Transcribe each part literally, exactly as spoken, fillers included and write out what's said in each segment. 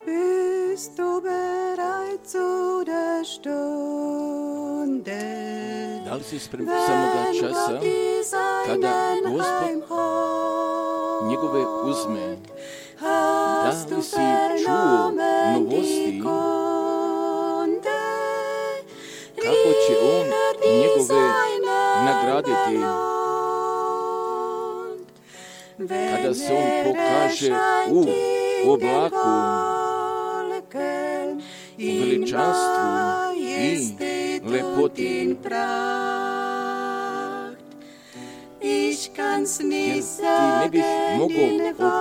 Bist du bereit zu der Stunde, da li si spreman samoga časa kada Gospod njegove uzme? Da li si čuo novosti kako će on njegove nagraditi kada se on pokaže u oblaku, u veličanstvu i lepoti. Jer ti ne bih mogao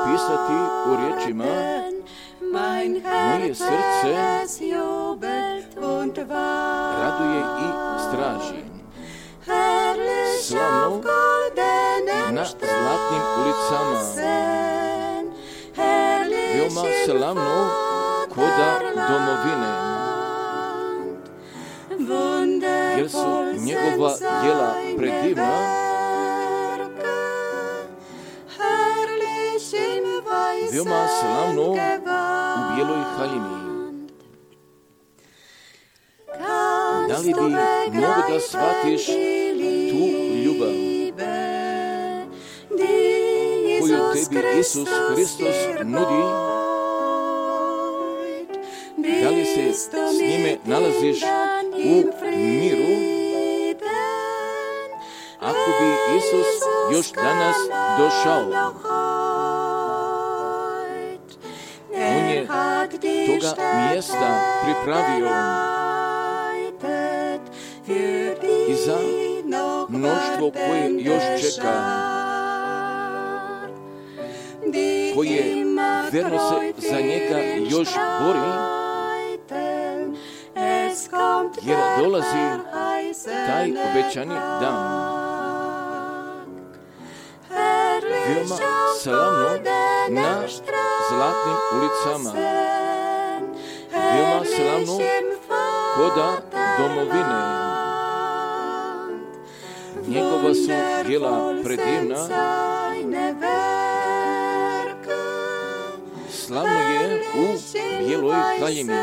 opisati u riječima, moje srce raduje i straži. Slavno na zlatnim ulicama, veoma slavno koda domovine, jer su njegova djela predivna, veoma slavno u bijeloj haljini. Da li bi mogo da shvatiš tu ljubav koju tebi Isus Hristos nudi? Da li se s njime nalaziš u miru? Ako bi Isus još danas došao, on je toga mjesta pripravio i za mnoštvo koje još čeka, koje verno se za njega još bori, jer dolazi taj obećani dan. Veoma slavno na zlatnim ulicama, veoma slavno koda domovine. Njegova su djela predivna, slavno je u bijeloj haljini.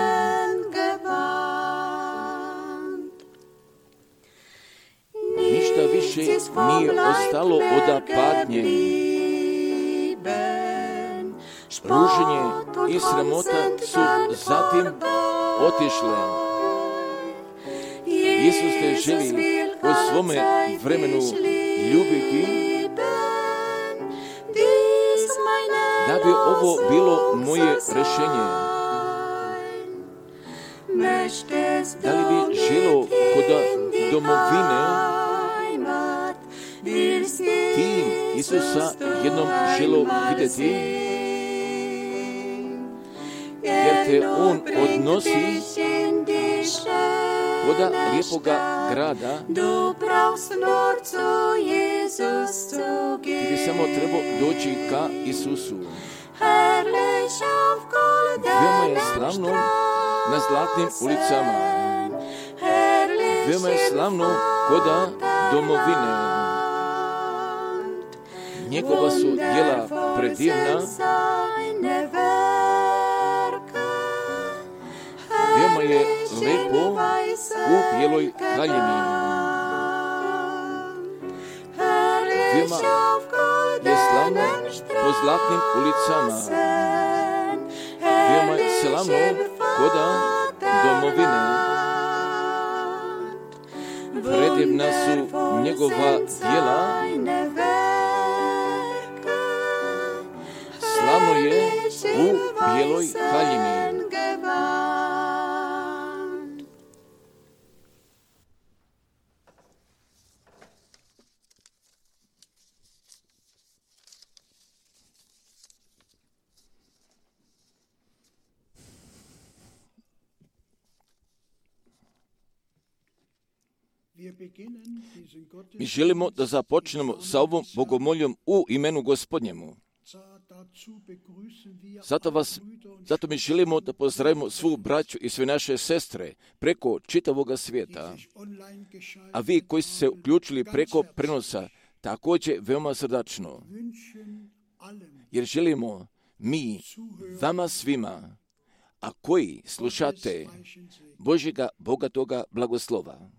više nije ostalo od patnje. Ruženje i sramota su zatim otišle. Isus te želi u svome vremenu ljubiti, da bi ovo bilo moje rješenje. Da li bi želo kod domovine ti Isusa jednom želo vidjeti, jer te On odnosi koda lijepoga grada. Ti bi samo trebao doći ka Isusu. Veoma je slavno na zlatnim ulicama. Veoma je slavno koda domovine. Njegova su djela predivna. Veoma je lepo u bijeloj haljini. Veoma je slavno po zlatnim ulicama. Veoma je slavno koda domovine. Predivna su njegova djela. Slavno je u bijeloj haljini. Mi želimo da započnemo sa ovom bogomoljom u imenu Gospodnjemu. Zato, vas, zato mi želimo da pozdravimo svu braću i sve naše sestre preko čitavoga svijeta. A vi koji ste se uključili preko prenosa, također veoma srdačno. Jer želimo mi, vama svima, a koji slušate Božjega bogatoga blagoslova.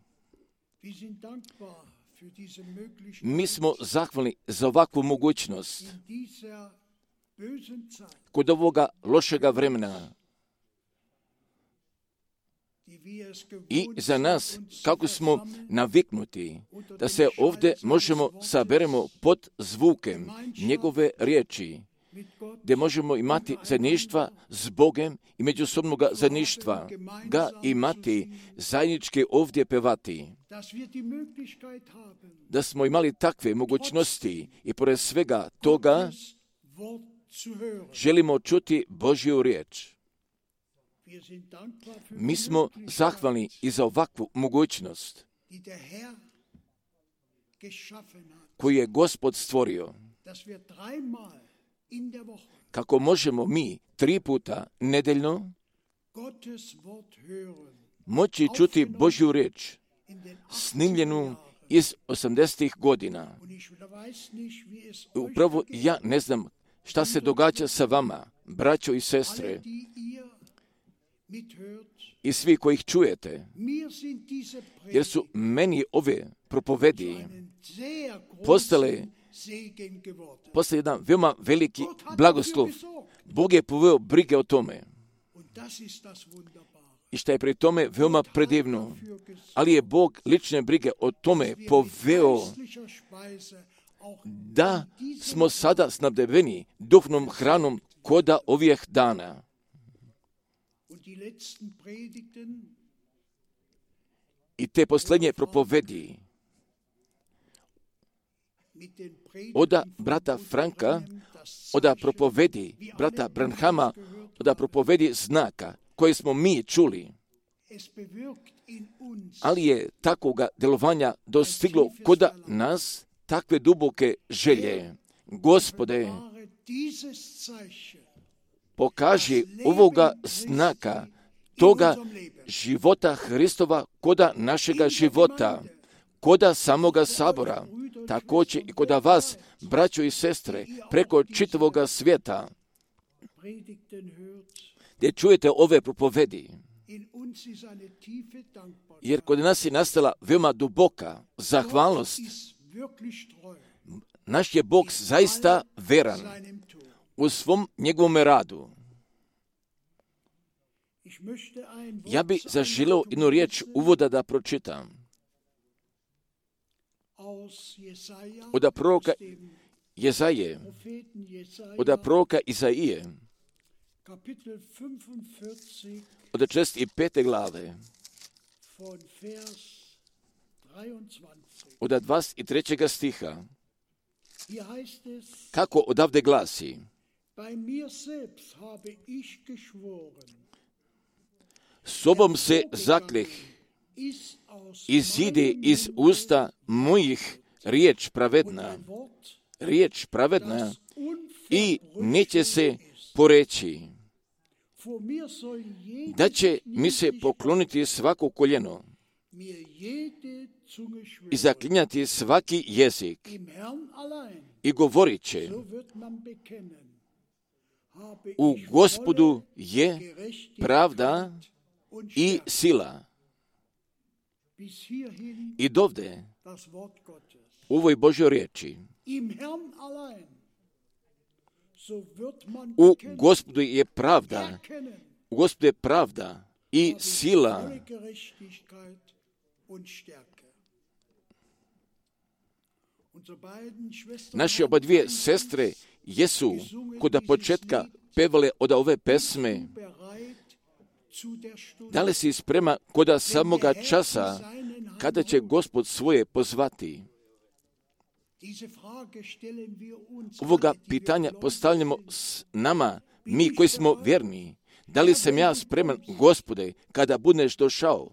Mi smo zahvalni za ovakvu mogućnost kod ovoga lošega vremena i za nas, kako smo naviknuti, da se ovdje možemo saberemo pod zvukem njegove riječi, gdje možemo imati zajedništva s Bogem i međusobnoga zajedništva, ga imati zajednički ovdje pevati. Da smo imali takve mogućnosti i pored svega toga želimo čuti Božju riječ. Mi smo zahvalni i za ovakvu mogućnost koju je Gospod stvorio, kako možemo mi tri puta nedeljno moći čuti Božju riječ, snimljenu iz osamdesetih godina. Upravo ja ne znam šta se događa sa vama, braćo i sestre, i svi koji ih čujete, jer su meni ove propovedi postale, postale jedan veoma veliki blagoslov. Bog je poveo brige o tome. I što je pri tome veoma predivno. Ali je Bog lične brige o tome poveo da smo sada snabdeveni duhovnom hranom koda ovih dana. I te posljednje propovedi oda brata Franka, oda propovedi brata Branhama, oda propovedi znaka koje smo mi čuli, ali je takvoga delovanja dostiglo koda nas takve duboke želje. Gospode, pokaži ovoga znaka, toga života Hristova koda našega života, koda samoga sabora, također i koda vas, braćo i sestre, preko čitavoga svijeta, gdje čujete ove propovedi. Jer kod nas je nastala veoma duboka zahvalnost Naš je Bog zaista veran u svom njegovom radu. Ja bi zaželio jednu riječ uvoda da pročitam. Od proroka Jezaje, od proroka Izaije, od šezdeset pete glave, od dvadeset trećeg stiha, kako odavde glasi: Sobom se zakljeh, izide iz usta mojih riječ pravedna, riječ pravedna i neće se poreći, da će mi se pokloniti svako koljeno i zaklinjati svaki jezik i govorit će: u Gospodu je pravda i sila. I dovde u ovoj Božjoj riječi: u Gospodu je pravda, u Gospodu je pravda i sila. Naše oba dvije sestre jesu kod početka pevale od ove pesme: da li si sprema koda samoga časa kada će Gospod svoje pozvati? Ovoga pitanja postavljamo s nama, mi koji smo vjerni. Da li sam ja spreman, Gospode, kada budeš došao?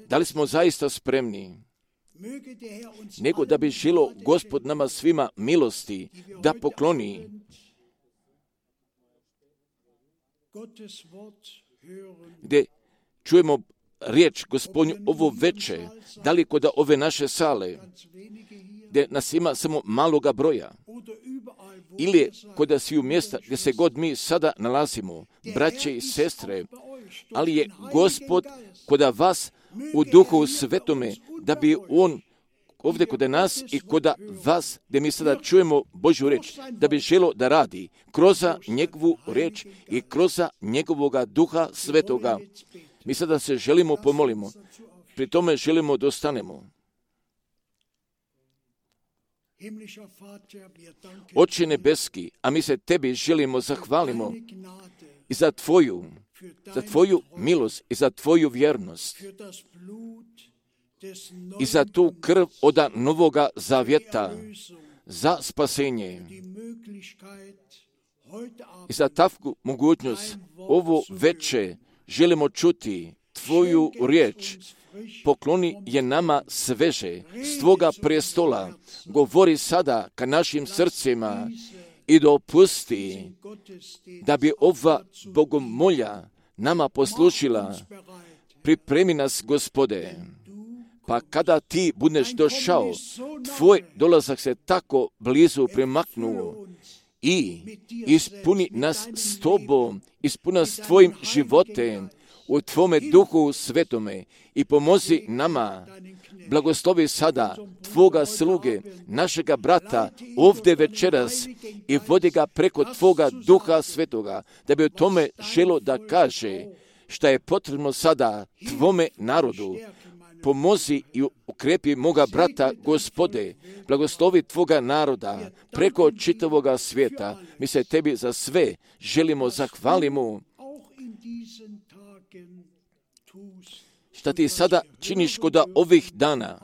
Da li smo zaista spremni? Nego da bi želio Gospod nama svima milosti da pokloni. Gdje čujemo riječ Gospodnju ovo veče, da li kod ove naše sale, gdje nas ima samo maloga broja, ili kod sviju mjesta gdje se god mi sada nalazimo, braće i sestre, ali je Gospod kod vas u Duhu Svetome, da bi On ovdje kod nas i kod vas, gdje mi sada čujemo Božju riječ, da bi želio da radi kroz njegovu riječ i kroz njegovoga Duha Svetoga. Mi sada se želimo pomolimo, pri tome želimo da ostanemo. Oče nebeski, a mi se tebi želimo zahvalimo i za tvoju, za tvoju milost i za tvoju vjernost i za tu krv od novoga zavjeta, za spasenje i za takvu mogućnost ovo veče želimo čuti tvoju riječ. Pokloni je nama sveže s tvoga prestola. Govori sada ka našim srcima i dopusti da bi ova bogomolja nama poslušila. Pripremi nas, Gospode, pa kada ti budeš došao, tvoj dolazak se tako blizu primaknuo i ispuni nas s tobom, ispuni nas tvojim životem, u tvome Duhu Svetome i pomozi nama. Blagoslovi sada tvoga sluge, našega brata, ovdje večeras i vodi ga preko tvoga Duha Svetoga, da bi o tome želo da kaže šta je potrebno sada tvome narodu. Pomozi i ukrepi moga brata, Gospode, blagoslovi tvoga naroda preko čitavoga svijeta. Mi se tebi za sve želimo zahvalimo. Šta ti sada činiš kod ovih dana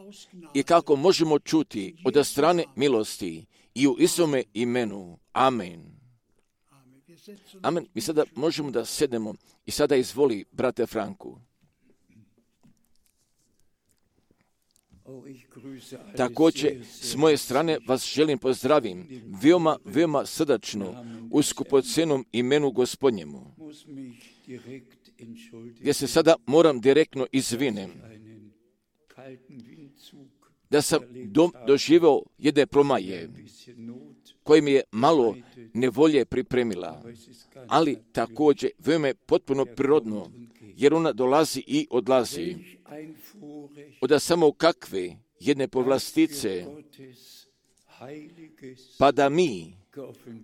i kako možemo čuti od strane milosti i u Isome imenu. Amen. Amen. Mi sada možemo da sednemo i sada izvoli, brate Franku. Također, s moje strane vas želim pozdravim veoma, veoma srdačno u skupocenom imenu Gospodnjemu, gdje se sada moram direktno izvinem, da sam do, doživio jedne promaje koje mi je malo nevolje pripremila, ali također veoma je potpuno prirodno, jer ona dolazi i odlazi. Od samo kakve jedne povlastice, pa da mi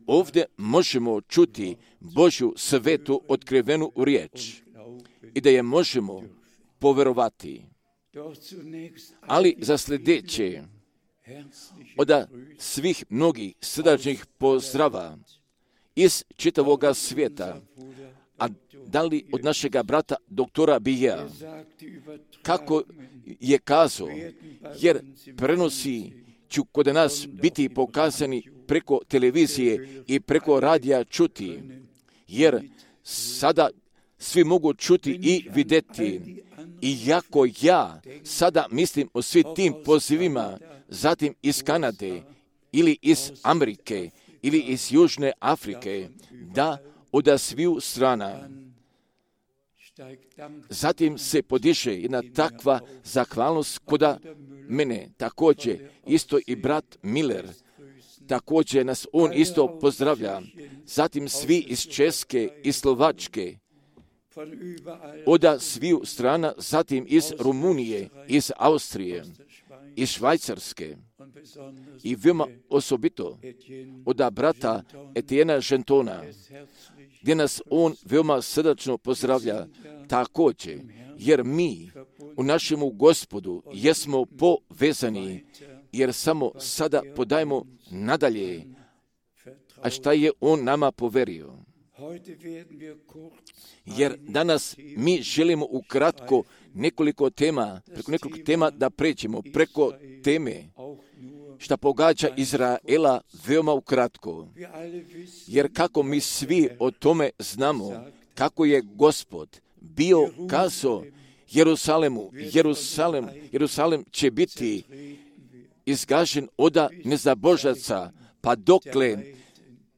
ovdje možemo čuti Božju svetu otkrivenu riječ i da je možemo poverovati. Ali za sljedeće, od svih mnogih srdačnih pozdrava iz čitavoga svijeta, a da li od našega brata doktora Bija, kako je kazao, jer prenosi ću kod nas biti pokazani preko televizije i preko radija čuti, jer sada svi mogu čuti i vidjeti. I jako ja sada mislim o svim tim pozivima, zatim iz Kanade ili iz Amerike ili iz Južne Afrike, da od sviju strana. Zatim se podiže jedna takva zahvalnost koda mene, također isto i brat Miller, također nas on isto pozdravlja. Zatim svi iz Česke i Slovačke, od sviju strana, zatim iz Rumunije, iz Austrije, iz Švajcarske i veoma osobito od brata Etiena Žentona, gdje nas on veoma srdačno pozdravlja također, jer mi u našemu Gospodu jesmo povezani, jer samo sada podajemo nadalje, a šta je on nama poverio. Jer danas mi želimo ukratko nekoliko tema, preko nekoliko tema da pređemo, preko teme šta pogađa Izraela veoma ukratko. Jer kako mi svi o tome znamo, kako je Gospod bio kazao Jerusalemu, Jerusalem, Jerusalem će biti izgažen od nezabožaca, pa dokle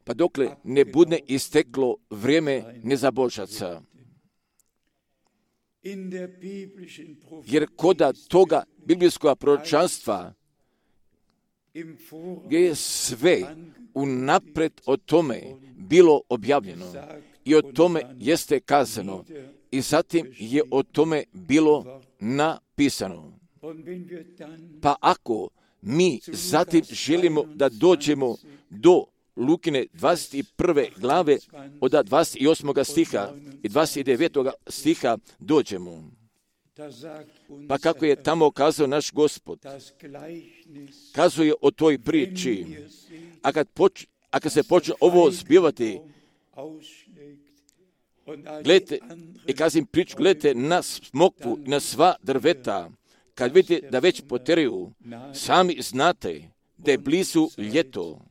pa dokle ne bude isteklo vrijeme nezabožaca. Jer koda toga biblijskog proročanstva, gdje je sve unapred o tome bilo objavljeno i o tome jeste kazano i zatim je o tome bilo napisano. Pa ako mi zatim želimo da dođemo do Lukine dvadeset prve glave od dvadeset osmog stiha i dvadeset devetog stiha dođemo. Pa kako je tamo kazao naš Gospod, kazuje o toj priči, a kad, poč, a kad se počne ovo zbivati, gledajte, i kazim priču, gledajte na smokvu i na sva drveta, kad vidite da već poteraju, sami znate da je blizu ljeto.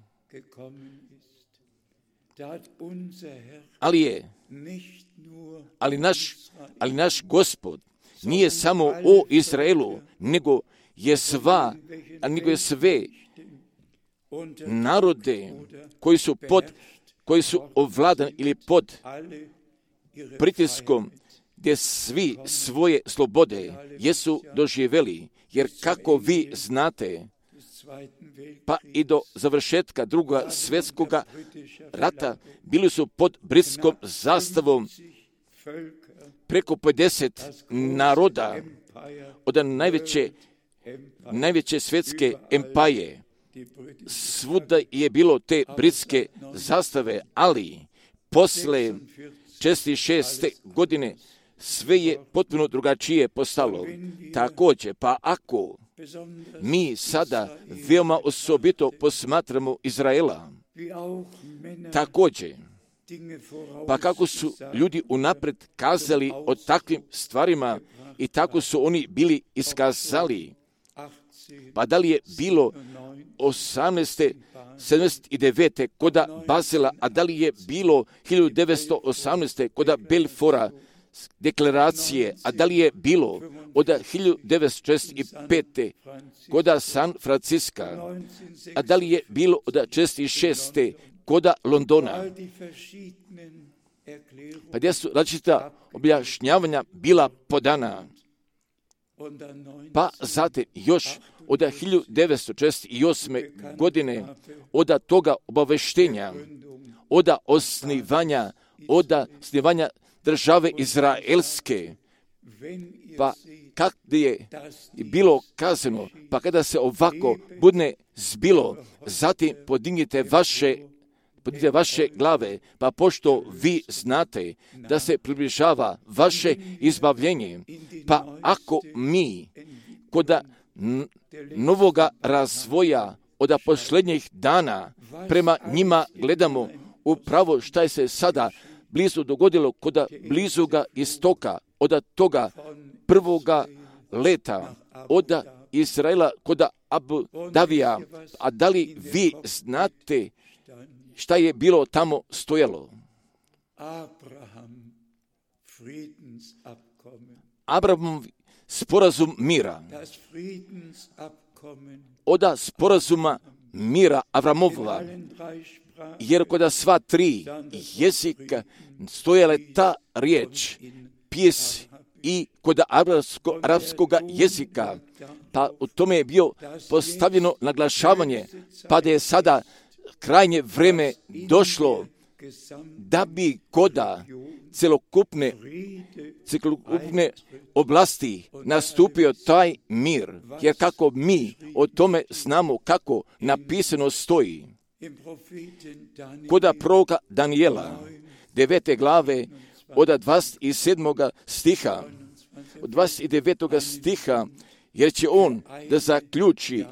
Ali je, ali naš, ali naš Gospod nije samo o Izraelu, nego je sva, a nego je sve narode koji su pod, koji su ovladani ili pod pritiskom, gdje svi svoje slobode jesu doživjeli, jer kako vi znate, pa i do završetka drugoga svjetskog rata bili su pod britskom zastavom preko pedeset naroda od najveće, najveće svjetske empaje. Svuda je bilo te britske zastave, ali posle četrdeset šeste godine sve je potpuno drugačije postalo. Također, pa ako mi sada veoma osobito posmatramo Izraela, također, pa kako su ljudi unapred kazali o takvim stvarima i tako su oni bili iskazali, pa da li je bilo osamnaeste sedamdeset devete koda Bazela, a da li je bilo hiljadu devetsto osamnaeste koda Belfora deklaracije, a da li je bilo od hiljadu devetsto četrdeset pete koda San Franciska, a da li je bilo od četrdeset šeste koda Londona. Pa gdje su različita objašnjavanja bila podana. Pa zatim još od hiljadu devetsto četrdeset osme godine od toga obaveštenja, od osnivanja, od osnivanja države izraelske, Pa kad je bilo kazano, pa kada se ovako budne zbilo, zatim podignite vaše, podignite vaše glave, pa pošto vi znate da se približava vaše izbavljenje, pa ako mi kod novoga razvoja od posljednjih dana prema njima gledamo upravo šta je se sada blizu dogodilo kod blizuga istoka, od toga prvoga leta, od Izraela kod Abu Davija, a da li vi znate šta je bilo tamo stojalo? Abrahamov sporazum mira. Od sporazuma mira Avramova, jer kod sva tri jezika stojala ta riječ, pjes i kod arapsko, arapskog jezika, pa u tome je bio postavljeno naglašavanje, pa da je sada krajnje vreme došlo da bi koda celokupne, celokupne oblasti nastupio taj mir, jer kako mi o tome znamo kako napisano stoji. Koda proroka Danijela, devete glave, od dvadeset sedmog stiha, od dvadeset devetog stiha, jer će on da zaključi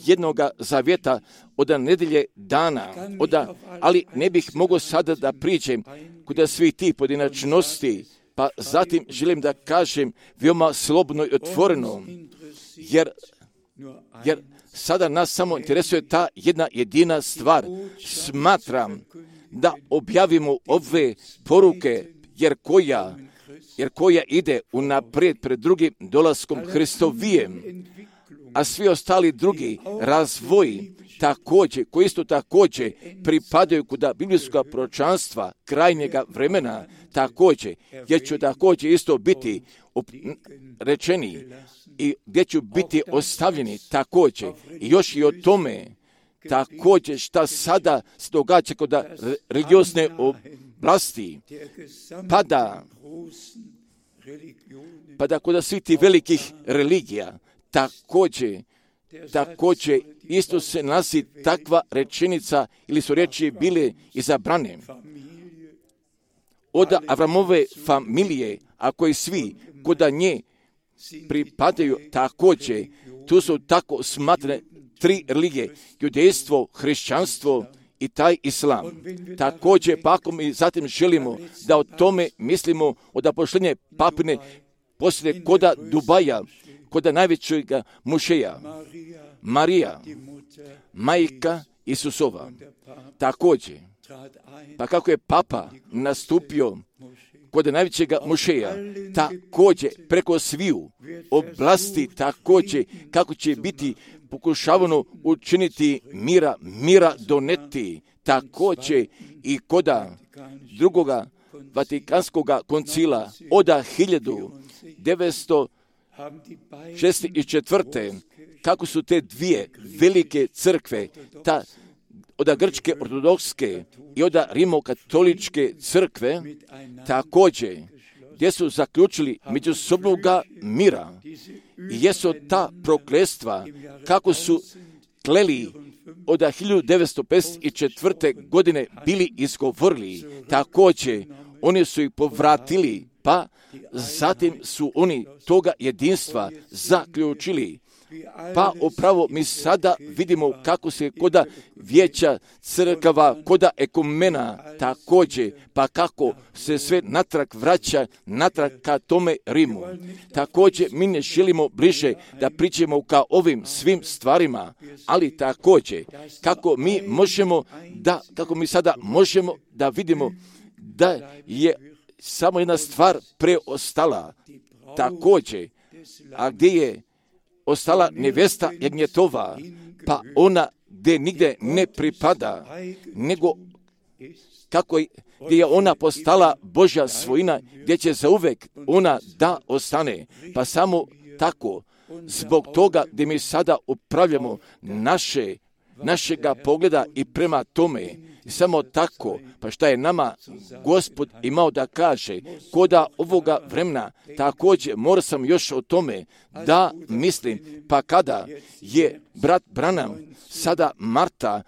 jednoga zavjeta od nedelje dana, oda, ali ne bih mogao sada da priđem kod svih tih pojedinačnosti, pa zatim želim da kažem veoma slobodno i otvoreno, jer, jer sada nas samo interesuje ta jedna jedina stvar. Smatram da objavimo ove poruke, jer koja, jer koja ide unaprijed pred drugim dolaskom Hristovijem, a svi ostali drugi razvoji također, koji isto također pripadaju kod biblijskog proročanstva krajnjega vremena, također, jer ću također isto biti rečeni i gdje ću biti ostavljeni također. I još i o tome također šta sada se događa kod religiozne oblasti, pa da, pa da kod svih tih velikih religija također, također isto se nalazi takva rečenica ili su riječi bile izabrane od Avramove familije, a koji svi kod nje pripadaju također, tu su tako smatrane tri religije, judejstvo, hrišćanstvo i taj islam. Također, pa ako mi zatim želimo da o tome mislimo od posljednje papine poslije koda Dubaja, koda najvećeg mušeja, Marija, majka Isusova. Također, pa kako je papa nastupio kod najvećeg mušeja, također preko sviju oblasti, također kako će biti pokušavano učiniti mira, mira doneti, također i koda drugoga Vatikanskog koncila od hiljadu devetsto šezdeset četvrte kako su te dvije velike crkve, ta od grčke ortodokske i od rimokatoličke crkve, također gdje su zaključili međusobnoga mira i jesu ta prokletstva kako su kleli od hiljadu devetsto pedeset četvrte godine bili izgovorili, također oni su ih povratili, pa zatim su oni toga jedinstva zaključili. Pa upravo mi sada vidimo kako se koda vijeća crkava, koda ekumena također, pa kako se sve natrag vraća, natrag ka tome Rimu. Također mi ne želimo bliže da pričamo ka ovim svim stvarima, ali također kako mi možemo da, kako mi sada možemo da vidimo da je samo jedna stvar preostala također, a gdje je ostala nevesta jagnjetova, pa ona gdje nigdje ne pripada, nego kako je, gdje je ona postala Božja svojina, gdje će zauvek ona da ostane. Pa samo tako, zbog toga gdje mi sada upravljamo naše, našega pogleda i prema tome, I samo tako, pa šta je nama Gospod imao da kaže, koda ovoga vremena, također mora sam još o tome da mislim, pa kada je brat Branham sada marta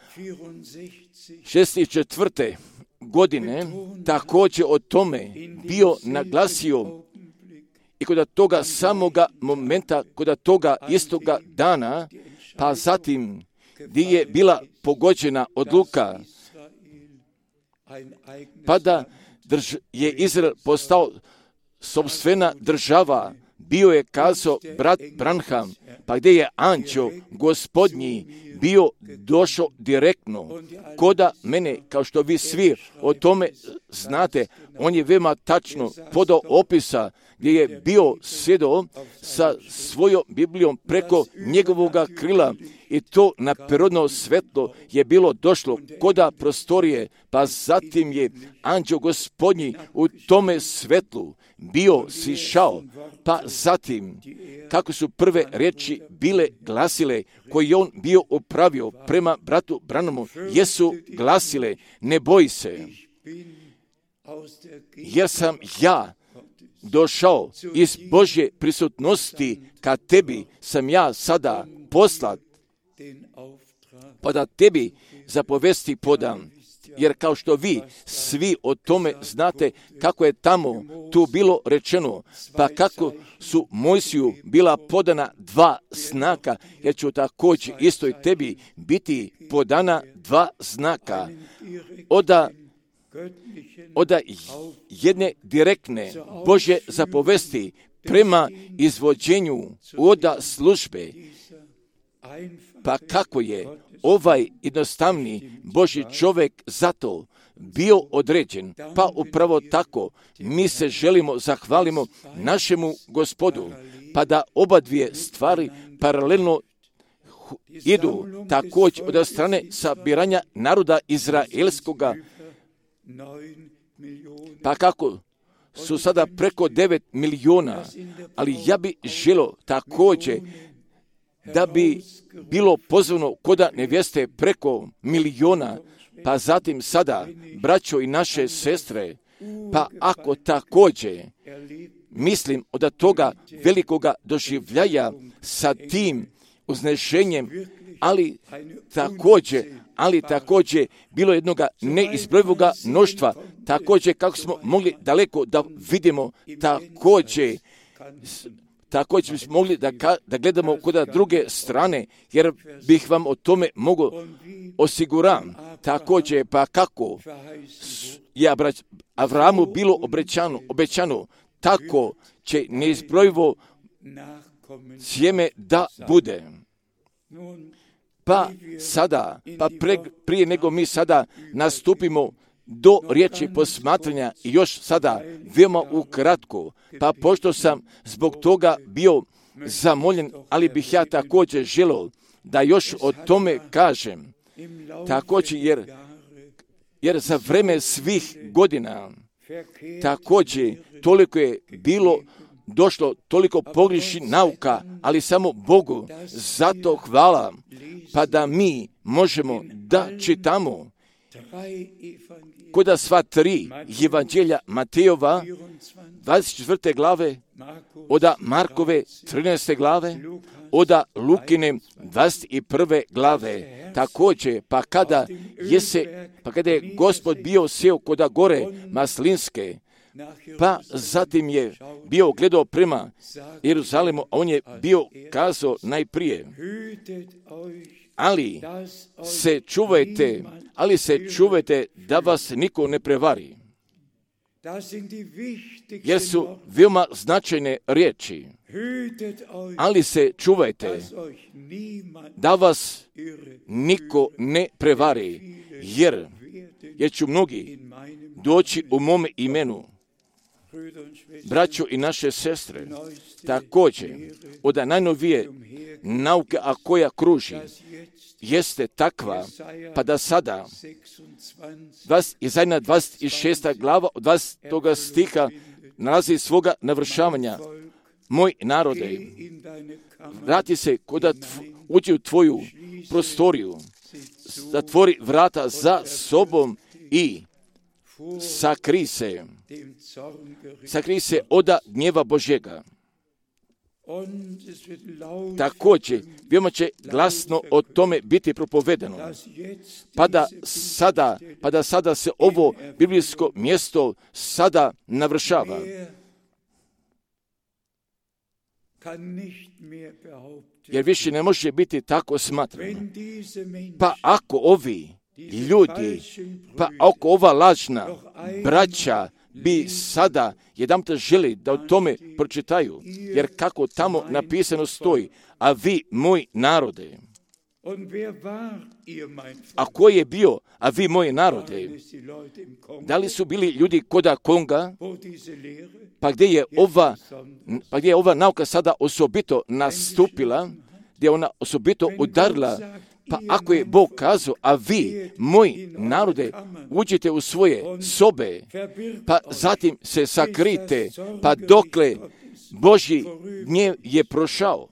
šezdeset četvrte godine također o tome bio naglasio i kod toga samoga momenta, kod toga istoga dana, pa zatim gdje je bila pogođena odluka, pa da drž- je Izrael postao sopstvena država, bio je kazao brat Branham, pa gdje je anđeo gospodnji bio došao direktno koda mene, kao što vi svi o tome znate, on je veoma tačno podao opisa gdje je bio sjedao sa svojom Biblijom preko njegovoga krila i to na prirodno svetlo je bilo došlo koda prostorije, pa zatim je anđeo gospodnji u tome svetlu bio sišao, pa zatim kako su prve riječi bile glasile koje on bio upravio prema bratu Branhamu, jesu glasile, ne boj se, jer sam ja došao iz Božje prisutnosti, ka tebi sam ja sada poslat, pa da tebi zapovesti podam. Jer kao što vi svi o tome znate kako je tamo tu bilo rečeno, pa kako su Mojsiju bila podana dva znaka, jer će također isto i tebi biti podana dva znaka. Oda Oda jedne direktne Božje zapovesti prema izvođenju oda službe, pa kako je ovaj jednostavni Božji čovjek zato bio određen, pa upravo tako mi se želimo zahvalimo našemu Gospodu, pa da oba dvije stvari paralelno idu također od strane sabiranja naroda izraelskoga, pa kako su sada preko devet milijuna, ali ja bi želio također da bi bilo pozvano koda nevjeste preko milijuna, pa zatim sada, braćo i naše sestre, pa ako također mislim od toga velikoga doživljaja sa tim uznešenjem, ali također, ali također bilo jednoga neizbrojivoga mnoštva, također kako smo mogli daleko da vidimo, također također bismo mogli da, da gledamo kod druge strane, jer bih vam o tome mogao osiguram. Također, pa kako je Avramu bilo obećano, obećano, tako će neizbrojivo sjeme da bude. Pa sada, pa pre, prije nego mi sada nastupimo do riječi posmatranja i još sada veoma ukratko, pa pošto sam zbog toga bio zamoljen, ali bih ja također želio da još o tome kažem, također jer, jer za vreme svih godina također toliko je bilo došlo toliko pogriješi nauka, ali samo Bogu zato hvala, pa da mi možemo da čitamo koda sva tri evanđelja Matejova, dvadeset četvrte glave, oda Markove, trinaeste glave, oda Lukine, dvadeset prve glave. Također, pa kada je se, pa kada je Gospod bio sjeo koda gore Maslinske, pa zatim je bio gledao prema Jeruzalemu, a on je bio kazao najprije, ali se čuvajte, ali se čuvajte da vas niko ne prevari. Jer su veoma značajne riječi. Ali se čuvajte da vas niko ne prevari, jer, jer ću mnogi doći u mome imenu. Braćo i naše sestre, također, od najnovije nauke, a koja kruži, jeste takva, pa da sada, Izaja dvadeset šesta glava, od dvadesetog stiha, nalazi svoga navršavanja. Moj narode, vrati se, koda tv, uđi u tvoju prostoriju, zatvori vrata za sobom i sakri se, sakri se od gnjeva Božjega. Također, veoma će glasno o tome biti propovedano. Pa da sada, pa da sada se ovo biblijsko mjesto sada navršava. Jer više ne može biti tako smatrano. Pa ako ovi ljudi, pa ako ova lažna braća bi sada jedanput želi da o tome pročitaju, jer kako tamo napisano stoji, a vi, moj narode. A ko je bio, a vi, moji narode? Da li su bili ljudi koda Konga, pa gdje je ova, pa gdje je ova nauka sada osobito nastupila, gdje je ona osobito udarila? Pa ako je Bog kazao, a vi, moji narode, uđite u svoje sobe, pa zatim se sakrite, pa dokle Božji gnjev je prošao.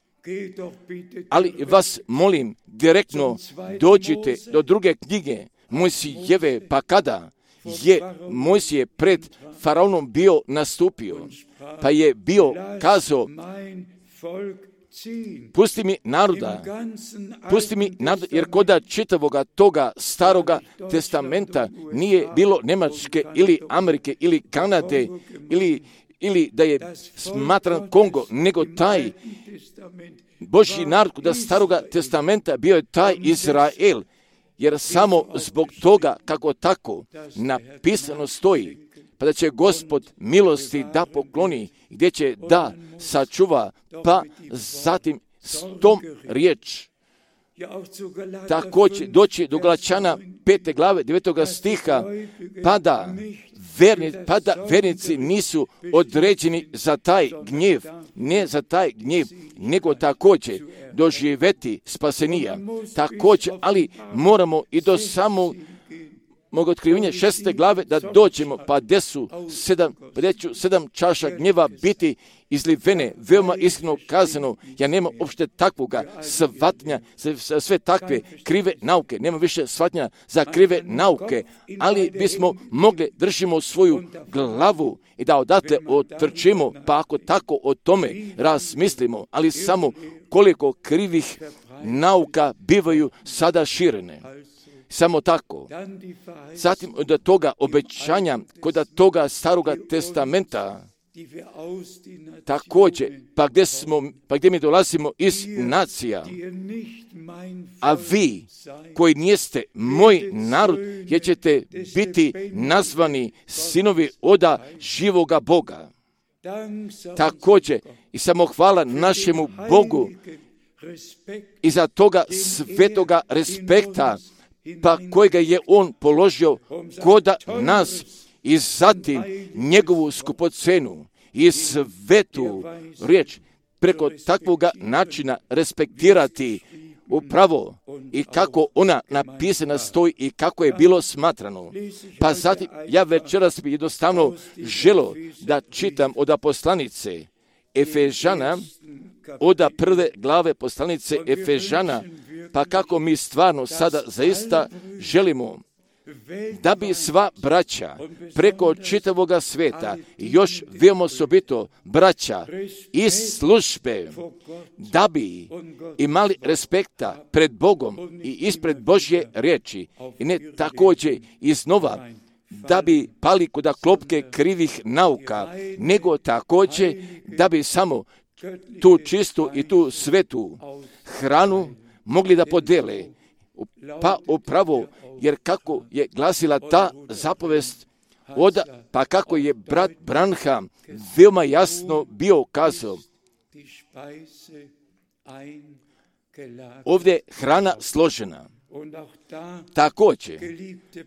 Ali vas molim, direktno dođite do druge knjige Mojsijeve, pa kada je Mojsije pred faraonom bio nastupio, pa je bio kazao, pusti mi naroda, pusti mi naroda, jer koda čitavoga toga staroga testamenta nije bilo Njemačke ili Amerike ili Kanade ili, ili da je smatran Kongo, nego taj Božji narod koda staroga testamenta bio je taj Izrael, jer samo zbog toga kako tako napisano stoji, pa da će Gospod milosti da pokloni, gdje će da sačuva, pa zatim s tom riječ. Također doći do Galačana pete glave devetoga stiha, pa da, verni, pa da vernici nisu određeni za taj gnjev, ne za taj gnjev, nego također doživjeti spasenija. Također, ali moramo i do samog mog otkrivenja šeste glave da dođemo, pa gdje su sedam, pa ću sedam čaša gnjeva biti izlivene, veoma iskreno kazano, ja nemam uopšte takvoga shvatnja za sve takve krive nauke, nema više shvatnja za krive nauke, ali bismo mogli držimo svoju glavu i da odatle otrčimo, pa ako tako o tome razmislimo, ali samo koliko krivih nauka bivaju sada širene. Samo tako. Zatim od toga obećanja, kod toga staroga testamenta, također, pa gdje, smo, pa gdje mi dolazimo iz nacija, a vi koji nijeste moj narod, jer ćete biti nazvani sinovi oda živoga Boga. Također, i samo hvala našemu Bogu i za toga svetoga respekta, pa kojega je on položio koda nas i zatim njegovu skupocenu i svetu riječ preko takvoga načina respektirati upravo i kako ona napisana stoji i kako je bilo smatrano. Pa zatim ja večeras bi jednostavno želo da čitam od poslanice Efežana, od prve glave poslanice Efežana, pa kako mi stvarno sada zaista želimo da bi sva braća preko čitavoga sveta i još veoma osobito braća iz službe, da bi imali respekta pred Bogom i ispred Božje riječi i ne također iznova da bi pali kod klopke krivih nauka, nego također da bi samo tu čistu i tu svetu hranu mogli da podele. Pa upravo, jer kako je glasila ta zapovest, od, pa kako je brat Branham veoma jasno bio kazao, ovdje hrana složena. Također,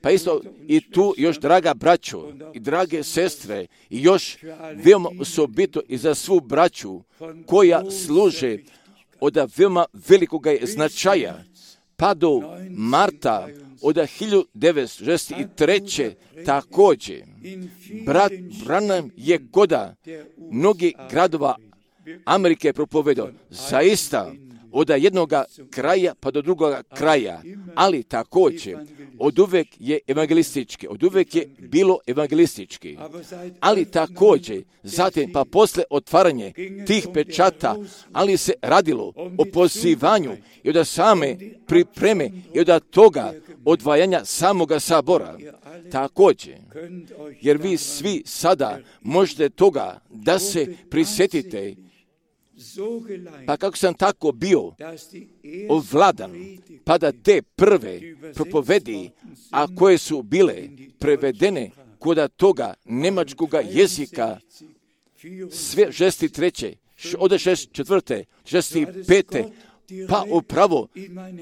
pa isto i tu još, draga braćo i drage sestre, i još veoma osobito i za svu braću koja služe od veoma velikoga značaja, pa do marta od hiljadu devetsto šezdeset treće također, brat Branham je koda mnogih gradova Amerike propovedao, zaista od jednoga kraja pa do drugoga kraja, ali također od uvek je evangelistički, od uvek je bilo evangelistički, ali također zatim pa posle otvaranje tih pečata, ali se radilo o pozivanju i od same pripreme i od toga odvajanja samoga sabora. Također, jer vi svi sada možete toga da se prisjetite, pa kako sam tako bio ovladan, pa da te prve propovedi, a koje su bile prevedene kod toga nemačkoga jezika, sve šesti treće, od šest četvrte, šesti pete, pa upravo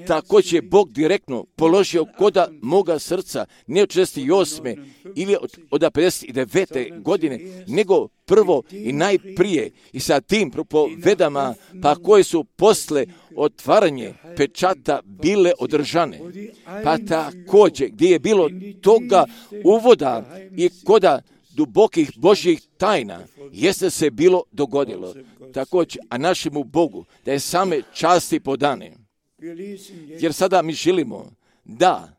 također je Bog direktno položio koda moga srca, ne od šezdeset osme ili od, od pedeset devete godine, nego prvo i najprije i sa tim propovedama, pa koje su posle otvaranje pečata bile održane. Pa također gdje je bilo toga uvoda i koda dubokih Božjih tajna, jeste se bilo dogodilo. Također, a našemu Bogu da je same časti podane. Jer sada mi želimo da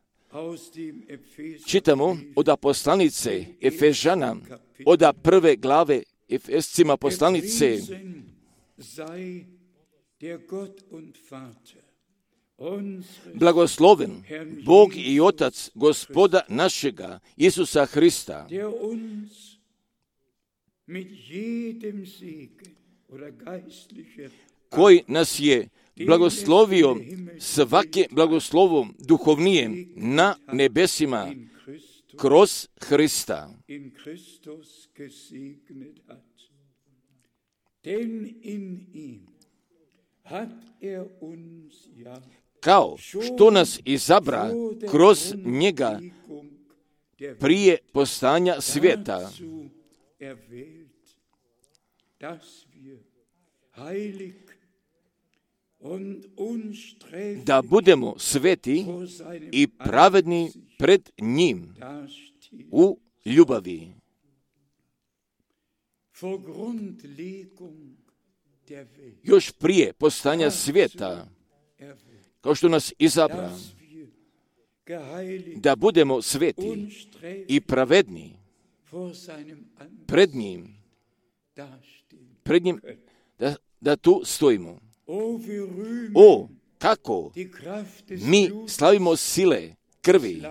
čitamo od poslanice Efežana, od prve glave Efescima poslanice, blagosloven Bog i Otac Gospoda našega Isusa Hrista, koji nas je blagoslovio svake blagoslovom duhovnijem na nebesima kroz Hrista. Kao što nas izabra kroz njega prije postanja svijeta, da budemo sveti i pravedni pred njim u ljubavi. Još prije postanja svijeta, kao što nas izabra, da budemo sveti i pravedni pred njim, pred njim da, da tu stojimo. O, kako mi slavimo sile krvi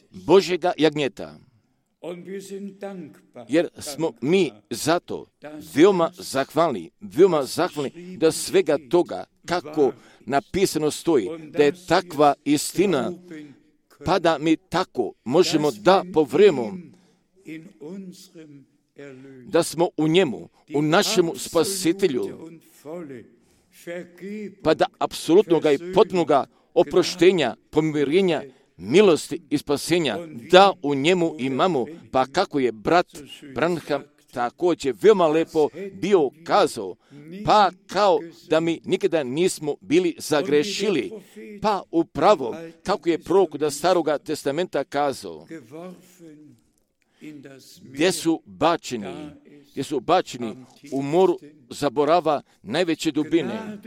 Božjega jagnjeta, jer smo mi zato veoma zahvalni, veoma zahvalni da svega toga kako napisano stoji, da je takva istina, pa da mi tako možemo da povrememo da smo u njemu, u našemu spasitelju, pa da apsolutnoga i potpunoga oproštenja, pomirenja, milosti i spasenja, da u njemu imamo, pa kako je brat Branham također veoma lepo bio kazao, pa kao da mi nikada nismo bili zagrešili, pa upravo kako je prorok da Staroga testamenta kazao, gdje su bačeni, gdje su bačeni u moru zaborava najveće dubine.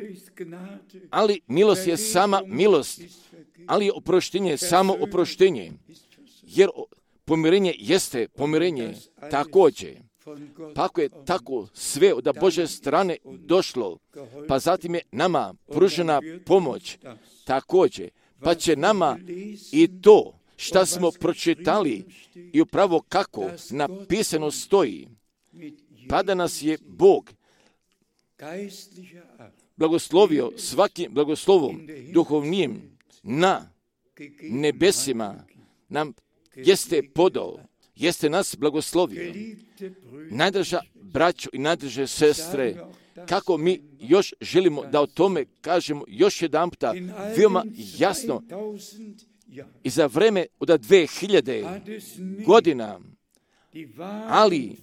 Ali milost je sama milost, ali je oproštenje samo oproštenje, jer pomirenje jeste pomirenje također. Pa ako je tako sve od Božje strane došlo, pa zatim je nama pružena pomoć također, pa će nama i to šta smo pročitali i upravo kako napisano stoji, pa da nas je Bog blagoslovio svakim blagoslovom duhovnijem na nebesima, nam jeste podao, jeste nas blagoslovio. Najdraža braćo i najdraže sestre, kako mi još želimo da o tome kažemo još jedan puta veoma jasno, i za vreme od dve hiljade godina, ali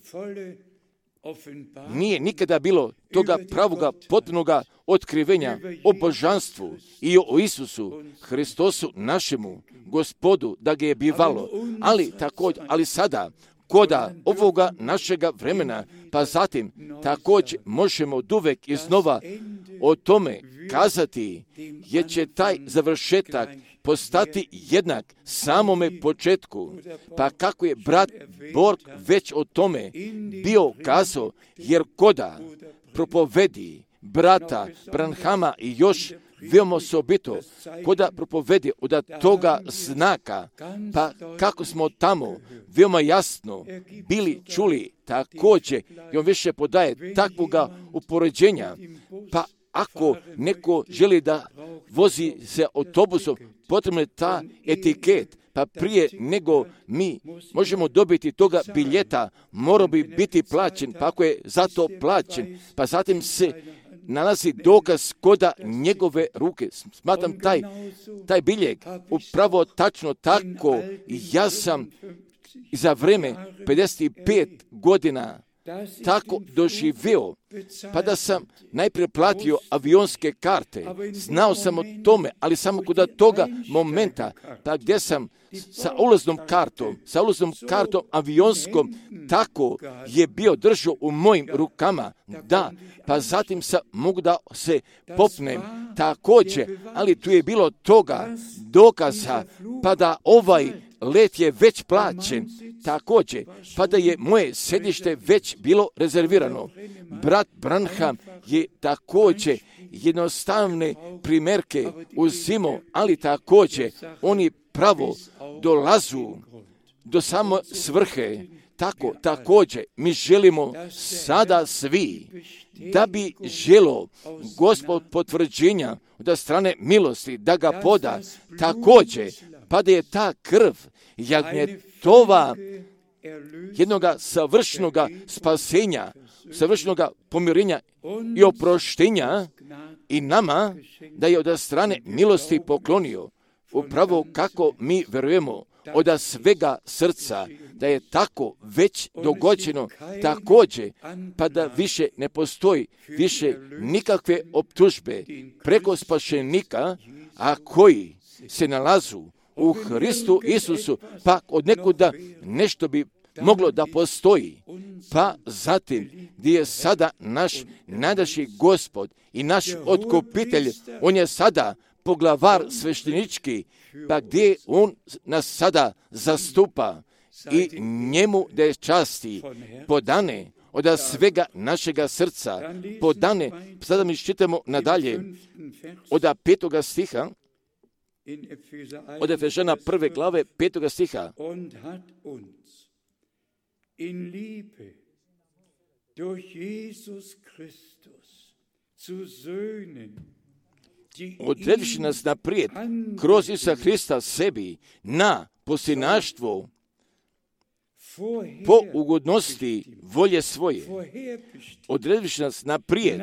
nije nikada bilo toga pravoga potpunoga otkrivenja o božanstvu i o Isusu Hristosu našemu Gospodu, da ga je bivalo, ali također, ali sada koda ovoga našega vremena, pa zatim također možemo oduvek iznova o tome kazati, jer će taj završetak postati jednak samome početku. Pa kako je brat Borg već o tome bio kazao, jer koda propovedi brata Branhama i još veoma osobito, koda propovedi od toga znaka, pa kako smo tamo veoma jasno bili čuli također, i on više podaje takvoga upoređenja, pa ako neko želi da vozi se autobusom, potrebno je ta etiket, pa prije nego mi možemo dobiti toga biljeta, mora bi biti plaćen, pa ako je za to plaćen, pa zatim se nalazi dokaz koda njegove ruke. Smatram taj, taj biljeg upravo tačno tako. Ja sam za vreme pedeset pet godina tako doživio, pa da sam najprije platio avionske karte. Znao sam o tome, ali samo kod toga momenta, pa gdje sam sa ulaznom kartom, sa ulaznom kartom avionskom, tako je bio držao u mojim rukama, da, pa zatim sam mogu da se popnem također, ali tu je bilo toga dokaza, pa da ovaj let je već plaćen također, pa da je moje sedište već bilo rezervirano. Brat Branham je također jednostavne primjerke uzimao, ali također oni pravo dolazu do samo svrhe. Tako, također, mi želimo sada svi da bi želo Gospod potvrđenja od strane milosti da ga poda, također, pa da je ta krv jagnjetova jednoga savršenoga spasenja, savršenoga pomirenja i oproštenja i nama da je od strane milosti poklonio. Upravo kako mi verujemo od svega srca da je tako već dogođeno također, pa da više ne postoji više nikakve optužbe preko spašenika, a koji se nalazu u Hristu Isusu, pa od nekuda nešto bi moglo da postoji. Pa zatim, gdje je sada naš najdaši Gospod i naš otkupitelj, on je sada poglavar sveštenički, pa gdje on nas sada zastupa i njemu da je časti podane od svega našega srca, podane, sada mi čitamo nadalje, od petoga stiha, od Efežana prve glave, petoga stiha. In Liebe durch Jesus Christus zu Söhnen, odredivši nas naprijed kroz Isusa Hrista sebi na posljednaštvo po ugodnosti volje svoje. Odredivši nas naprijed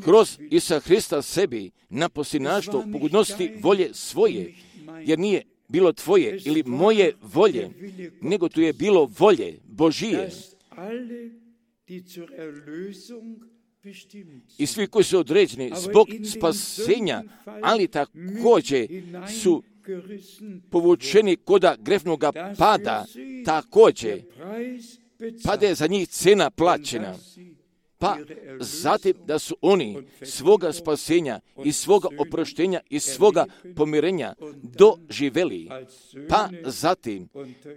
kroz Isusa Hrista sebi na posljednaštvo po ugodnosti volje svoje, jer nije bilo tvoje ili moje volje, nego tu je bilo volje Božije. I svi koji su određeni zbog spasenja, ali također su povučeni koda grefnoga pada, također, pa da je za njih cena plaćena. Pa zatim da su oni svoga spasenja i svoga oproštenja i svoga pomirenja doživeli. Pa zatim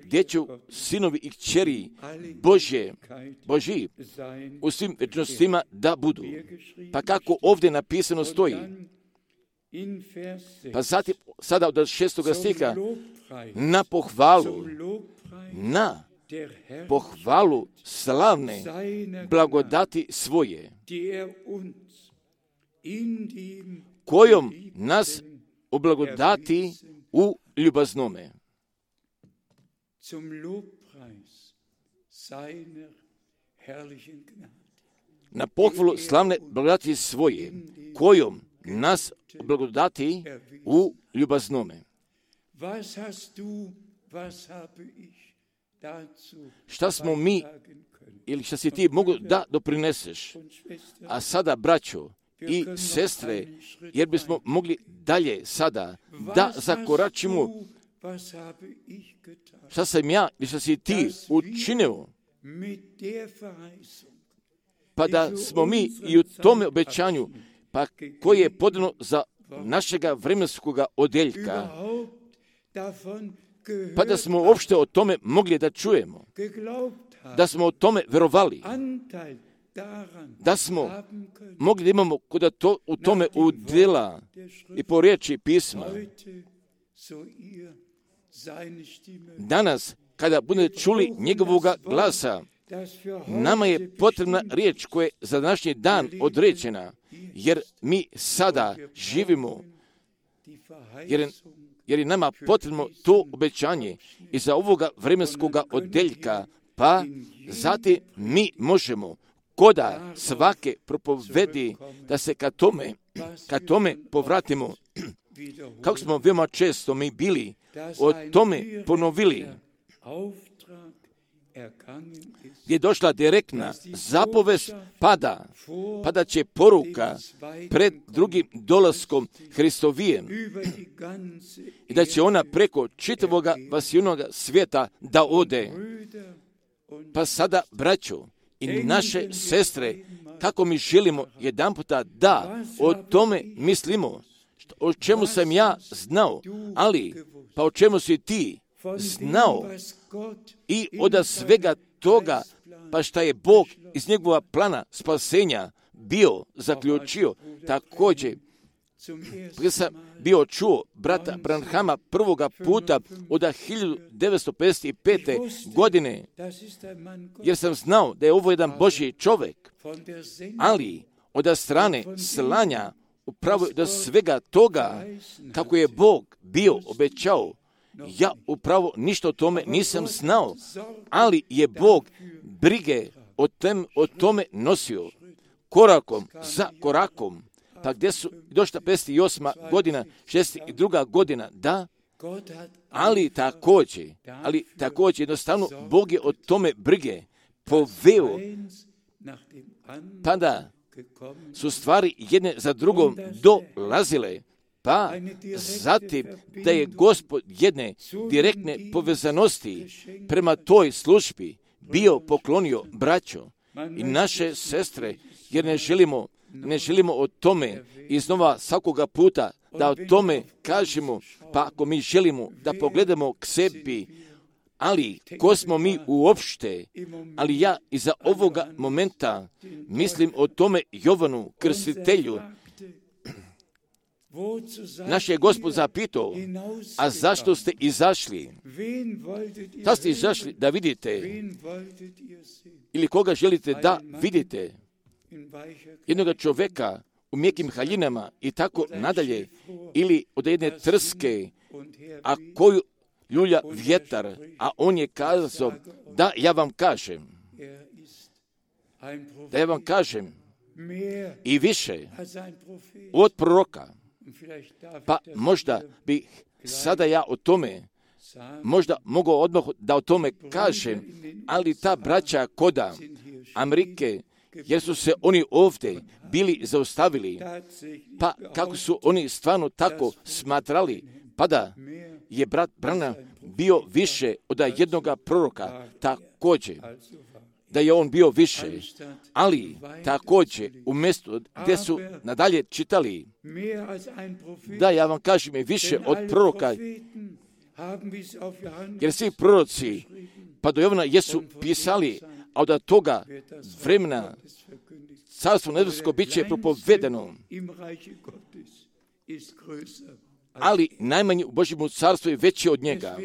gdje će sinovi i kćeri Božje, Božji u svim večnostima da budu. Pa kako ovdje napisano stoji. Pa zatim sada od šestoga stiha na pohvalu, na pohvalu slavne blagodati svoje, kojom nas oblagodati u ljubaznome. Na pohvalu slavne blagodati svoje, kojom nas oblagodati u ljubaznome. Šta smo mi ili šta si ti mogu da doprineseš? A sada, braćo i sestre, jer bismo mogli dalje sada da zakoračimo, šta sam ja ili šta si ti učinio, pa da smo mi i u tome obećanju, pa koje je podano za našega vremenskog odeljka, pa da smo uopšte o tome mogli da čujemo, da smo o tome verovali, da smo mogli da imamo kod to, u tome udjela i po riječi pisma. Danas, kada budete čuli njegovog glasa, nama je potrebna riječ koja je za današnji dan određena, jer mi sada živimo, jer, jer je nama potrebno to obećanje iza ovoga vremenskog odeljka, pa zatim mi možemo koda svake propovedi da se ka tome, ka tome povratimo, kako smo veoma često mi bili o tome ponovili, gdje je došla direktna zapovest pada, pada će poruka pred drugim dolaskom Hristovijem i da će ona preko čitavog vasijunog svijeta da ode. Pa sada, braćo i naše sestre, kako mi želimo jedan puta da o tome mislimo, o čemu sam ja znao, ali pa o čemu si ti znao i od svega toga, pa šta je Bog iz njegova plana spasenja bio zaključio. Također, kada sam bio čuo brata Branhama prvoga puta od hiljadu devetsto pedeset pete. godine, jer sam znao da je ovo jedan Božji čovjek, ali od strane slanja upravo do svega toga, kako je Bog bio obećao, ja upravo ništa o tome nisam znao, ali je Bog brige o, tem, o tome nosio korakom za korakom. Pa gdje su došla pedeset osma. godina, šezdeset druga. godina, da, ali također, ali također jednostavno Bog je o tome brige poveo, pa da su stvari jedne za drugom dolazile, pa zatim da je Gospod jedne direktne povezanosti prema toj službi bio poklonio braćo i naše sestre, jer ne želimo, ne želimo o tome iznova svakoga puta da o tome kažemo, pa ako mi želimo da pogledamo k sebi, ali ko smo mi uopšte, ali ja iza ovoga momenta mislim o tome Jovanu Krstitelju. Naš je Gospod zapitao, a zašto ste izašli? Da ste izašli da vidite, ili koga želite da vidite? Jednog čovjeka u mjekim haljinama i tako nadalje, ili od jedne trske, a koju ljulja vjetar, a on je kazao, da ja vam kažem, da ja vam kažem, i više od proroka. Pa možda bi sada ja o tome, možda mogao odmah da o tome kažem, ali ta braća koda Amerike, jer su se oni ovdje bili zaustavili, pa kako su oni stvarno tako smatrali, pa da je brat Branham bio više od jednoga proroka, također, da je on bio više, ali također u mjestu gdje su nadalje čitali, da ja vam kažem je više od proroka, jer svi proroci pa do Jovana jesu pisali, a od toga vremena carstvo nebesko bit će propovedeno, ali najmanji u Božjem carstvu je veći od njega.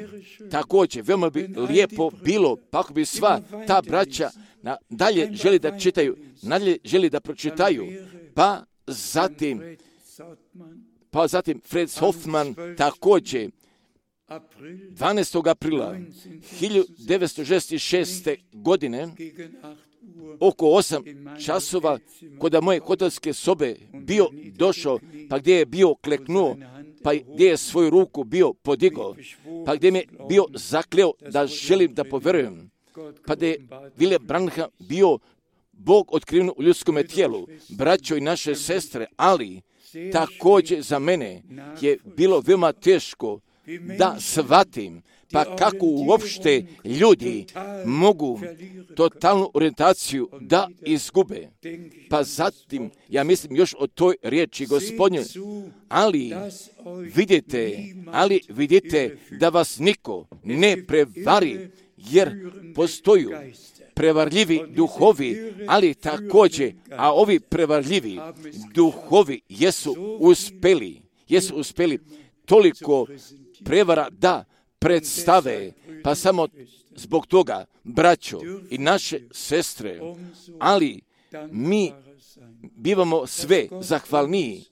Također, veoma bi lijepo bilo, pa ako bi sva ta braća na, dalje želi da čitaju, nadalje želi da pročitaju, pa zatim, pa zatim Fred Hoffman također, dvanaestog aprila hiljadu devetsto šezdeset šeste. godine, oko osam časova, kod moje hotelske sobe bio došao, pa gdje je bio kleknuo, pa gdje je svoju ruku bio podigao, pa gdje me bio zakleo da želim da poverujem, pa gdje je William Branham bio Bog otkriven u ljudskom tijelu, braćo i naše sestre, ali također za mene je bilo veoma teško da shvatim Pa kako uopšte ljudi mogu totalnu orijentaciju da izgube? Pa zatim, ja mislim još o toj riječi Gospodnjoj, ali vidite, ali vidite da vas niko ne prevari, jer postoju prevarljivi duhovi, ali također, a ovi prevarljivi duhovi jesu uspeli, jesu uspeli toliko prevara da predstave, pa samo zbog toga, braćo i naše sestre, ali mi bivamo sve zahvalniji,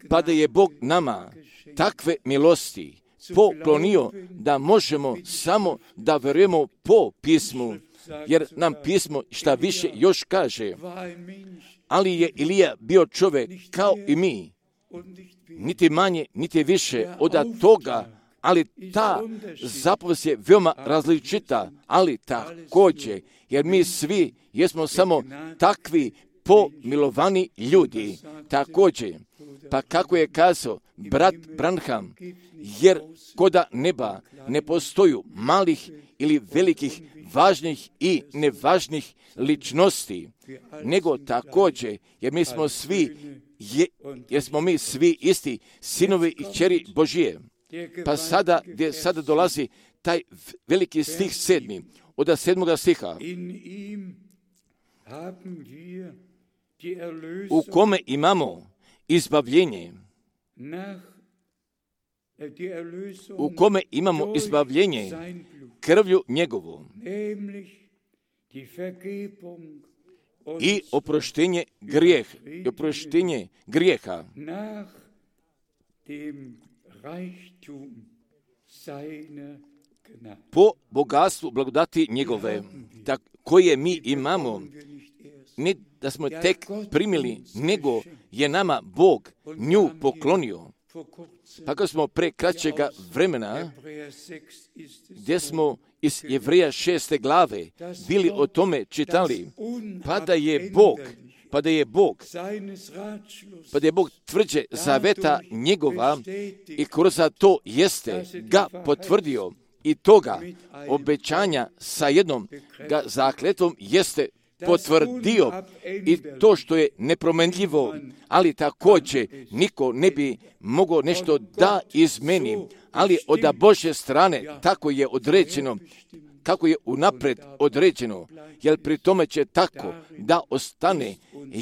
pa da je Bog nama takve milosti poklonio da možemo samo da verujemo po pismu, jer nam pismo šta više još kaže, ali je Ilija bio čovjek kao i mi, niti manje, niti više od toga, ali ta zapovijest je veoma različita, ali također, jer mi svi jesmo samo takvi pomilovani ljudi, također, pa kako je kazao brat Branham, jer koda neba ne postoju malih ili velikih, važnih i nevažnih ličnosti, nego također, jer mi smo svi, je, jer smo mi svi isti sinovi i kćeri Božije. Pa sada, gdje sada dolazi taj veliki stih sedmi, od sedmoga stiha, u kome imamo izbavljenje, u kome imamo izbavljenje krvlju njegovu i oproštenje grijeh, i oproštenje grijeha po bogatstvu blagodati njegove, tak, koje mi imamo, ne da smo tek primili, nego je nama Bog nju poklonio. Pa kad smo pre kraćega vremena, gdje smo iz Jevreja šeste glave bili o tome čitali, pa da je Bog, pa da je Bog, pa da je Bog tvrđe zaveta njegova i kroz to jeste ga potvrdio i toga obećanja sa jednom ga zakletvom jeste potvrdio i to što je nepromenljivo, ali također niko ne bi mogao nešto da izmeni, ali od Božje strane tako je određeno, kako je unapred određeno, jer pri tome će tako da ostane,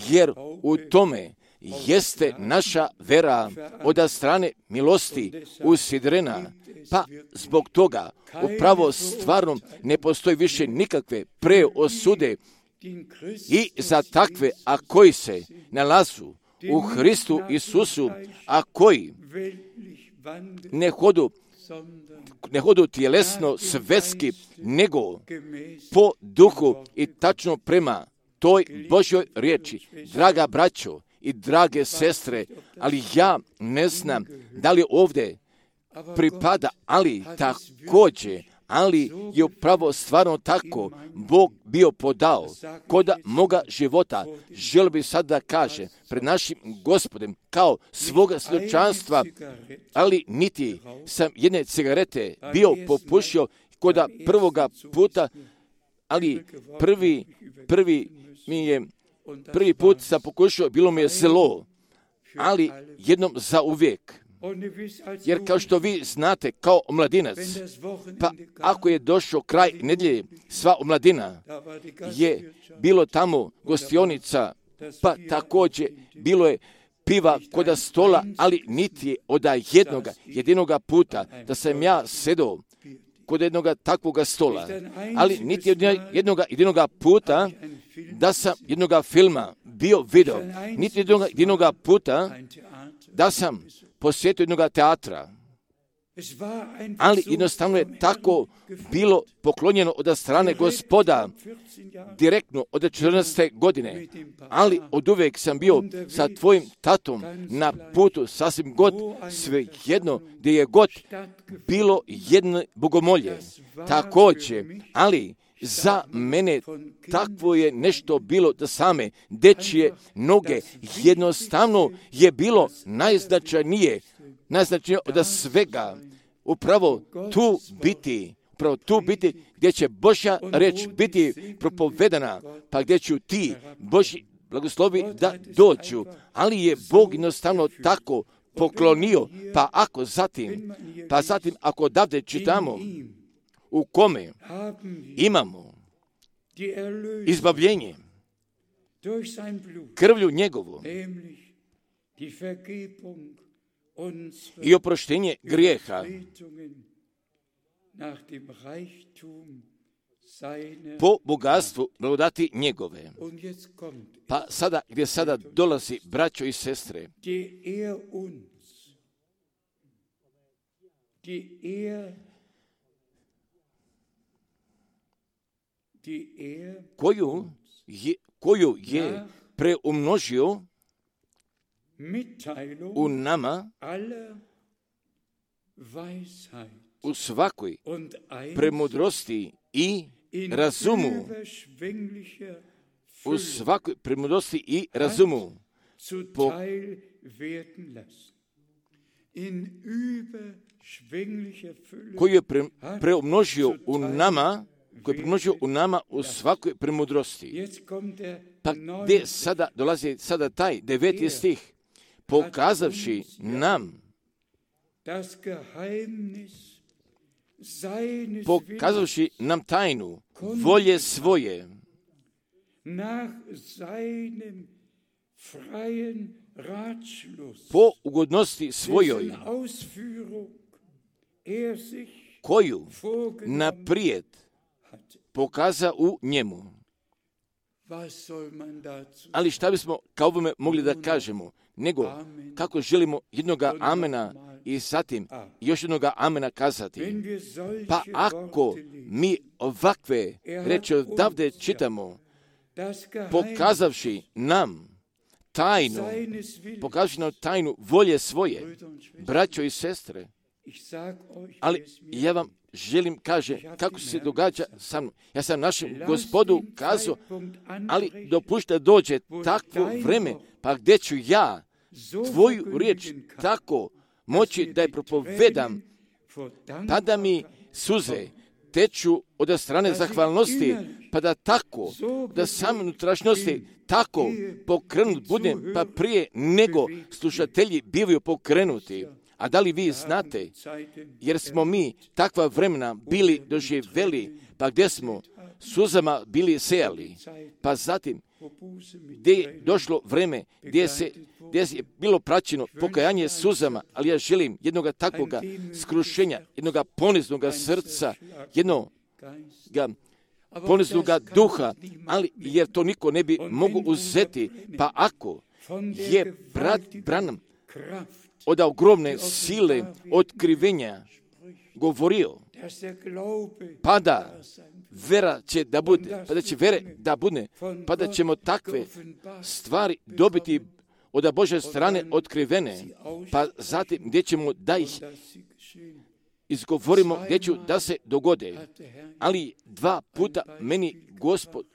jer u tome jeste naša vera od strane milosti usidrena, pa zbog toga upravo stvarno ne postoji više nikakve preosude i za takve, a koji se nalazu u Hristu Isusu, a koji ne hodu, ne hodu tjelesno, svetski, nego po duhu i tačno prema toj Božjoj riječi. Draga braćo i drage sestre, ali ja ne znam da li ovdje pripada, ali također, ali je upravo stvarno tako Bog bio podao koda moga života. Želio bi sad da kaže pred našim Gospodem kao svoga svjedočanstva, ali niti sam jedne cigarete bio popušio koda prvoga puta, ali prvi, prvi mi je, prvi put sam pokušao, bilo mi je zlo, ali jednom za uvijek. Jer kao što vi znate, kao omladinac, pa ako je došao kraj nedjelje, sva omladina je bilo tamo gostionica, pa također bilo je piva koda stola, ali niti je od jednoga, jedinoga puta da sam ja sedao kod jednoga takvoga stola, ali niti od jednoga jedinoga puta da sam jednoga filma bio video, niti jednoga jedinoga puta da sam posjetio jednoga teatra, ali jednostavno je tako bilo poklonjeno od strane Gospoda direktno od četrnaeste godine, ali od uvijek sam bio sa tvojim tatom na putu sasvim god sve jedno gdje je god bilo jedno bogomolje također, ali za mene takvo je nešto bilo da same dečije noge jednostavno je bilo najznačajnije, najznačajnije od svega, upravo tu biti, upravo tu biti gdje će Božja reč biti propovedana, pa gdje ću ti Božji blagoslovi da dođu, ali je Bog jednostavno tako poklonio, pa ako zatim, pa zatim ako odavde čitamo u kome imamo izbavljenje krvlju njegovu i oproštenje grijeha po bogatstvu blagodati njegove. Pa sada, gdje sada dolazi, braćo i sestre, koju je, koju je preumnožio u nama u svakoj premudrosti i razumu, u svakoj premudrosti i razumu, po, koju je pre, preumnožio u nama, koji je premnožio u nama u svakoj premudrosti. Pa gdje sada dolazi sada taj deveti stih, pokazavši nam, pokazavši nam tajnu volje svoje, po ugodnosti svojoj, koju naprijed pokaza u njemu. Ali šta bismo kao ovome mogli da kažemo, nego kako želimo jednoga amena i zatim još jednoga amena kazati. Pa ako mi ovakve reči odavde čitamo, pokazavši nam tajnu, pokazavši nam tajnu volje svoje, braćo i sestre, ali ja vam želim kaže kako se događa sa mnom. Ja sam našem Gospodu kazao, ali dopušta dođe takvo vreme, pa gdje ću ja tvoju riječ tako moći da je propovedam, pa da mi suze teču od strane zahvalnosti, pa da tako, da sam unutrašnjosti tako pokrenut budem, pa prije nego slušatelji bivaju pokrenuti. A da li vi znate, jer smo mi takva vremena bili doživjeli, pa gdje smo suzama bili sejali, pa zatim gdje je došlo vreme gdje, se, gdje je bilo praćeno pokajanje suzama, ali ja želim jednoga takvoga skrušenja, jednoga poniznoga srca, jednoga poniznoga duha, ali jer to niko ne bi mogu uzeti, pa ako je brat Branham od ogromne sile otkrivenja govorio, pa da vera će da bude, pa da će vere da bude, pa da ćemo takve stvari dobiti od Božje strane otkrivene, pa zatim gdje ćemo da ih izgovorimo, gdje ću da se dogode. Ali dva puta meni Gospod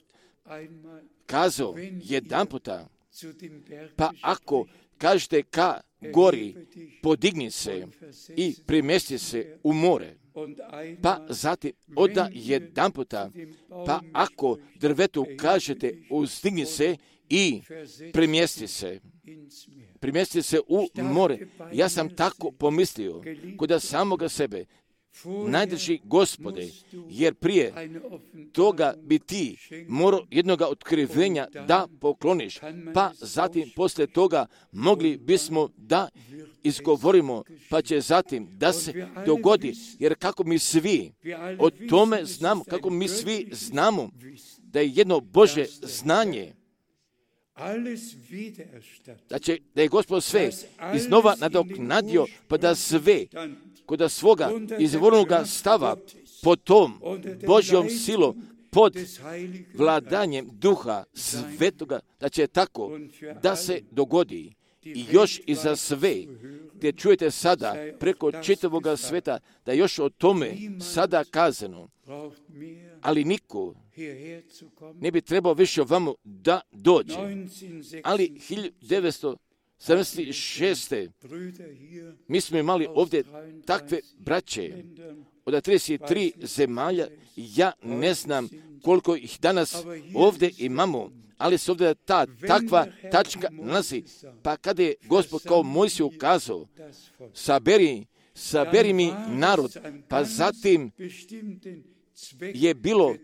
kazao jedan puta, pa ako kažete ka gori, podigni se i primesti se u more. Pa zatim oda jedan puta, pa ako drvetu kažete uzdigni se i primjesti se, primjesti se u more. Ja sam tako pomislio kod samoga sebe, najdrži Gospode, jer prije toga bi ti morao jednoga otkrivenja da pokloniš, pa zatim poslije toga mogli bismo da izgovorimo, pa će zatim da se dogodi, jer kako mi svi o tome znamo, kako mi svi znamo da je jedno Božje znanje, da, će, da je Gospod sve iznova nadoknadio, pa da sve kod svoga izvornoga stava pod tom Božjom silom, pod vladanjem Duha Svetoga, da će tako da se dogodi. I još i za sve, gdje čujete sada preko čitavoga sveta, da još o tome sada kazano, ali niko ne bi trebao više ovamo da dođe. Ali hiljadu devetsto sedamdeset šeste mi smo imali ovdje takve braće od trideset tri zemalja. Ja ne znam koliko ih danas ovdje imamo, ali se ovdje ta takva tačka nalazi. Pa kada je Gospod kao Mojsiju ukazao, saberi, saberi mi narod, pa zatim je bilo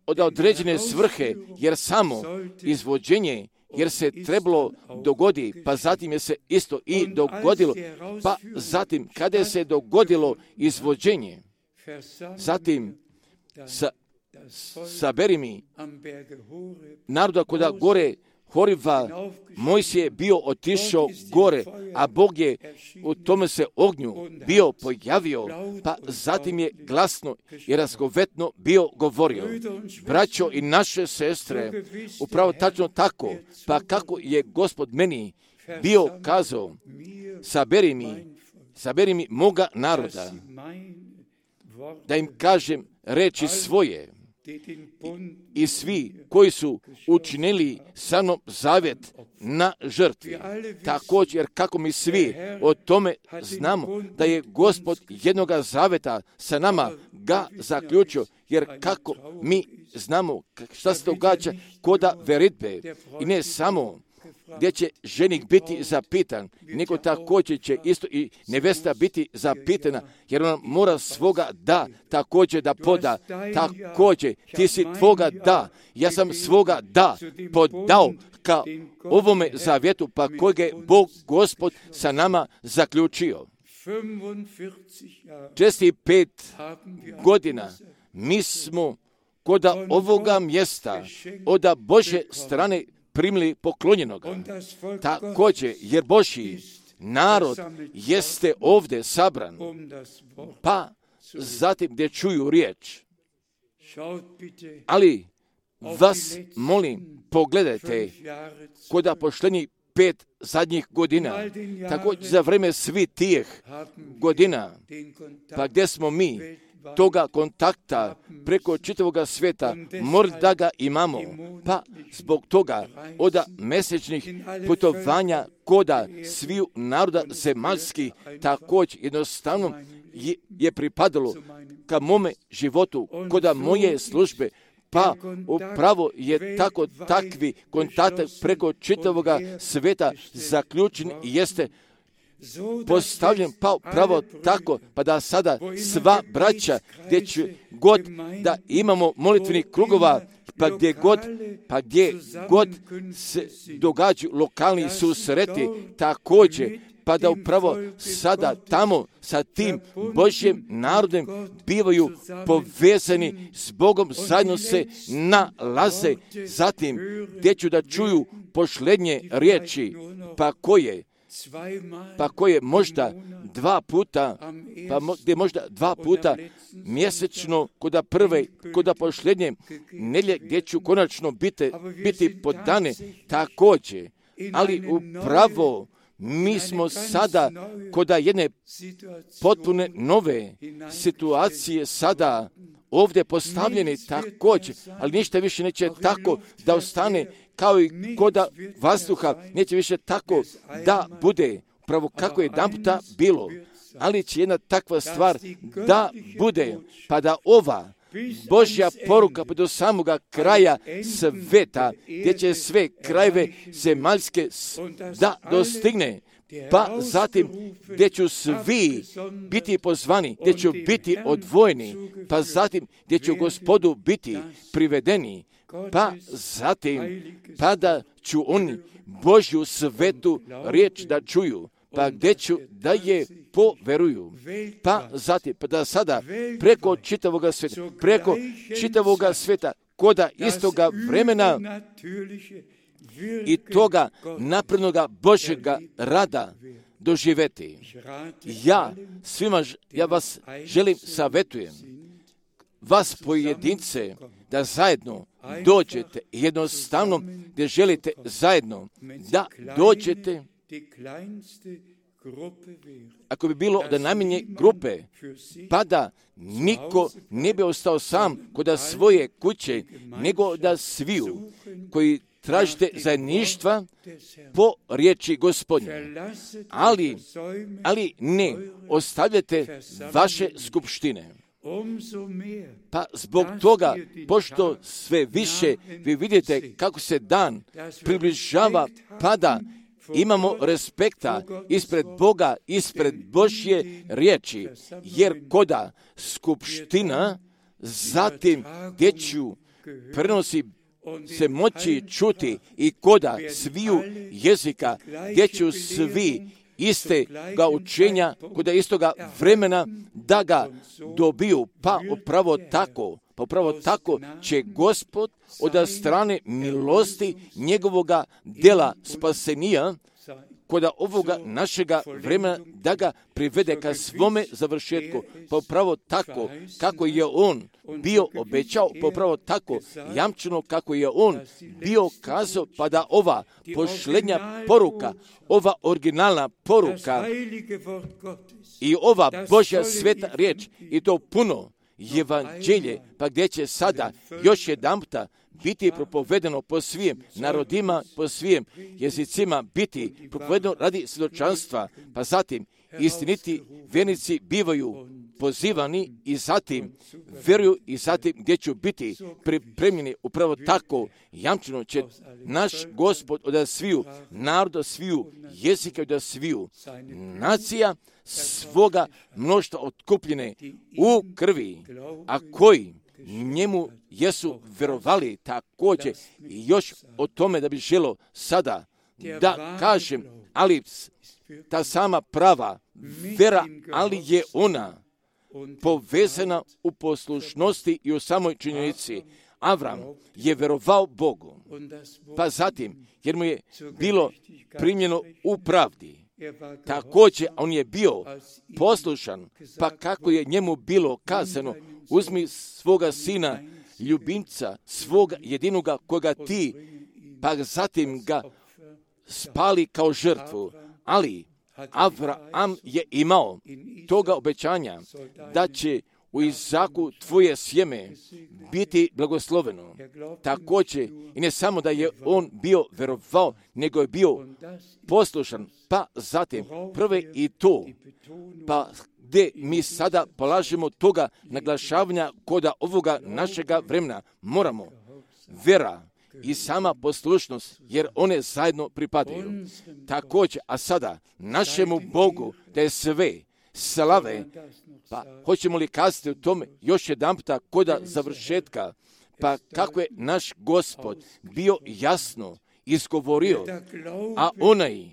od određene svrhe, jer samo izvođenje, jer se trebalo dogodi, pa zatim je se isto i dogodilo, pa zatim kada se dogodilo izvođenje, zatim sa, saberi mi naroda koda gore Horiva, Mojsije je bio otišao gore, a Bog je u tome se ognju bio pojavio, pa zatim je glasno i razgovetno bio govorio. Braćo i naše sestre, upravo tačno tako, pa kako je Gospod meni bio kazao, saberi mi, saberi mi moga naroda, da im kažem reči svoje, i svi koji su učinili sa mnom zavjet na žrtvi. Također, jer kako mi svi o tome znamo da je Gospod jednoga zavjeta sa nama ga zaključio, jer kako mi znamo šta se događa koda veritbe i ne samo gdje će ženik biti zapitan, nego također će isto i nevesta biti zapitana, jer ona mora svoga da također da poda. Također, ti si tvoga da, ja sam svoga da podao ka ovome zavjetu, pa kojeg je Bog Gospod sa nama zaključio. šezdeset pet godina mi smo koda ovoga mjesta od Božje strane primili poklonjenoga. Također, jer Božji narod jeste ovdje sabran, pa zatim gdje čuju riječ. Ali vas molim, pogledajte koda poštenji pet zadnjih godina, također za vreme svi tih godina, pa gdje smo mi toga kontakta preko čitavog svijeta, možda ga imamo, pa zbog toga od mjesečnih putovanja koda sviju naroda zemaljskih također jednostavno je, je pripadalo ka mome životu, koda moje službe, pa upravo je tako takvi kontakt preko čitavog svijeta zaključen i jeste postavljen pa upravo tako, pa da sada sva braća gdje će god da imamo molitvenih krugova, pa gdje god, pa gdje god se događaju lokalni susreti, također, pa da upravo sada tamo sa tim Božjim narodom bivaju povezani s Bogom, zajedno se nalaze, zatim gdje ću da čuju pošlednje riječi, pa koje pa koje možda dva puta, pa gdje možda dva puta mjesečno, koda prve, koda pošlednje nedjelje, gdje ću konačno biti, biti podane također. Ali upravo mi smo sada koda jedne potpune nove situacije sada ovdje postavljeni također, ali ništa više neće tako da ostane kao i koda vazduha, neće više tako da bude upravo kako je jedanputa bilo, ali će jedna takva stvar da bude, pa da ova Božja poruka pa do samoga kraja sveta, gdje će sve krajeve zemaljske da dostigne, pa zatim gdje ću svi biti pozvani, gdje ću biti odvojeni, pa zatim gdje ću Gospodu biti privedeni, pa zatim pa da ću oni Božju svetu riječ da čuju, pa gdje ću da je poveruju, pa zatim pa da sada preko čitavoga sveta, preko čitavoga sveta, koda istoga vremena i toga naprednoga Božjega rada doživeti. Ja svima, ja vas želim savjetujem, vas pojedince, da zajedno dođete, jednostavno gdje želite zajedno da dođete ako bi bilo da najmanje grupe, pa da niko ne bi ostao sam kod svoje kuće, nego da sviju koji tražite zajedništva po riječi Gospodnje. Ali, ali ne ostavljate vaše skupštine. Pa zbog toga, pošto sve više vi vidite kako se dan približava, pada, imamo respekta ispred Boga, ispred Božje riječi, jer koda skupština zatim dječju prenosi se moći čuti i koda sviju jezika, dječju svi iste ga učenja, koda istoga vremena da ga dobiju, pa upravo tako, pa upravo tako će Gospod od strane milosti njegovoga djela spasenija, koda ovoga našega vremena da ga privede ka svome završetku, pa upravo tako kako je on bio obećao, pa upravo tako jamčeno kako je on bio kazao, pa da ova posljednja poruka, ova originalna poruka i ova Božja sveta riječ i to puno evanđelje, pa gdje će sada još jedanputa biti propovedeno po svim narodima, po svim jezicima, biti propovedeno radi svjedočanstva, pa zatim istiniti vjernici bivaju pozivani i zatim vjeruju i zatim gdje će biti pripremljeni upravo tako jamčeno će naš Gospod od sviju naroda, sviju jezika, od sviju nacija svoga mnoštva otkupljene u krvi, a koji njemu jesu vjerovali također i još o tome da bi želo sada da kažem, ali ta sama prava vera, ali je ona povezana u poslušnosti i u samoj činjenici. Avram je vjerovao Bogu, pa zatim, jer mu je bilo primljeno u pravdi, također on je bio poslušan, pa kako je njemu bilo kazano, uzmi svoga sina, ljubimca, svoga jedinoga koga ti, pa zatim ga spali kao žrtvu. Ali Avram je imao toga obećanja da će u Izaku tvoje sjeme biti blagosloveno. Također, i ne samo da je on bio vjerovao, nego je bio poslušan, pa zatim prve i to, pa gdje mi sada polažemo toga naglašavanja koda ovoga našega vremena, moramo vera i sama poslušnost, jer one zajedno pripadaju. Također, a sada našemu Bogu da je sve slave, pa hoćemo li kazati u tome još jedanputa koda završetka, pa kako je naš Gospod bio jasno izgovorio, a onaj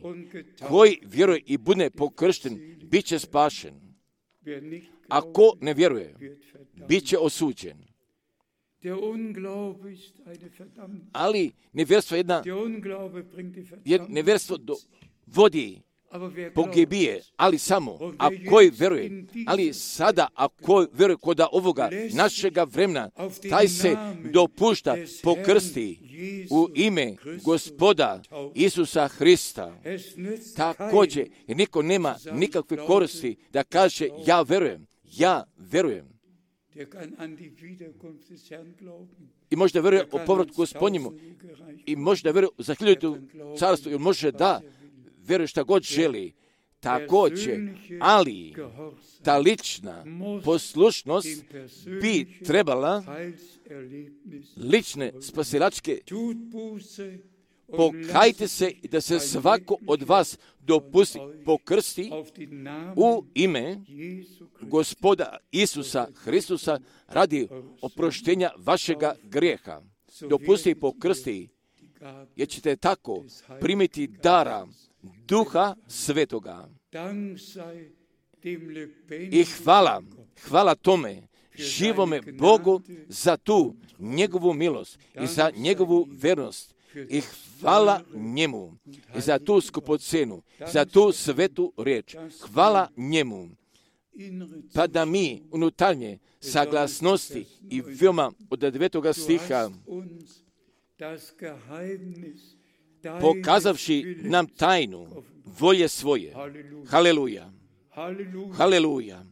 koji vjeruje i bude pokršten, bit će spašen. Ako ne vjeruje, bit će osuđen. Ali nevjerstvo je jedna, jer nevjerstvo do, vodi pogibije, ali samo ako vjeruje, ali sada ako vjeruje koda ovoga našega vremena, taj se dopušta pokrsti u ime Gospoda Isusa Hrista. Također, jer niko nema nikakve koristi da kaže ja vjerujem, ja vjerujem. I možda vjeruje o povratku Gospodnjemu, i možda vjeruje za hiljadu carstvo, ili može da vjeruje šta god želi, također, ali ta lična poslušnost bi trebala lične spasilačke pokajte se i da se svako od vas dopusti pokrsti u ime Gospoda Isusa Hristusa radi oproštenja vašega grijeha. Dopusti pokrsti, jer ćete tako primiti dara Duha Svetoga. I hvala, hvala tome živome Bogu za tu njegovu milost i za njegovu vernost. I hvala njemu i za tu skupocenu, za tu svetu riječ. Hvala njemu. Pa da mi unutarnje saglasnosti i veoma od devetoga stiha pokazavši nam tajnu volje svoje. Haleluja. Haleluja.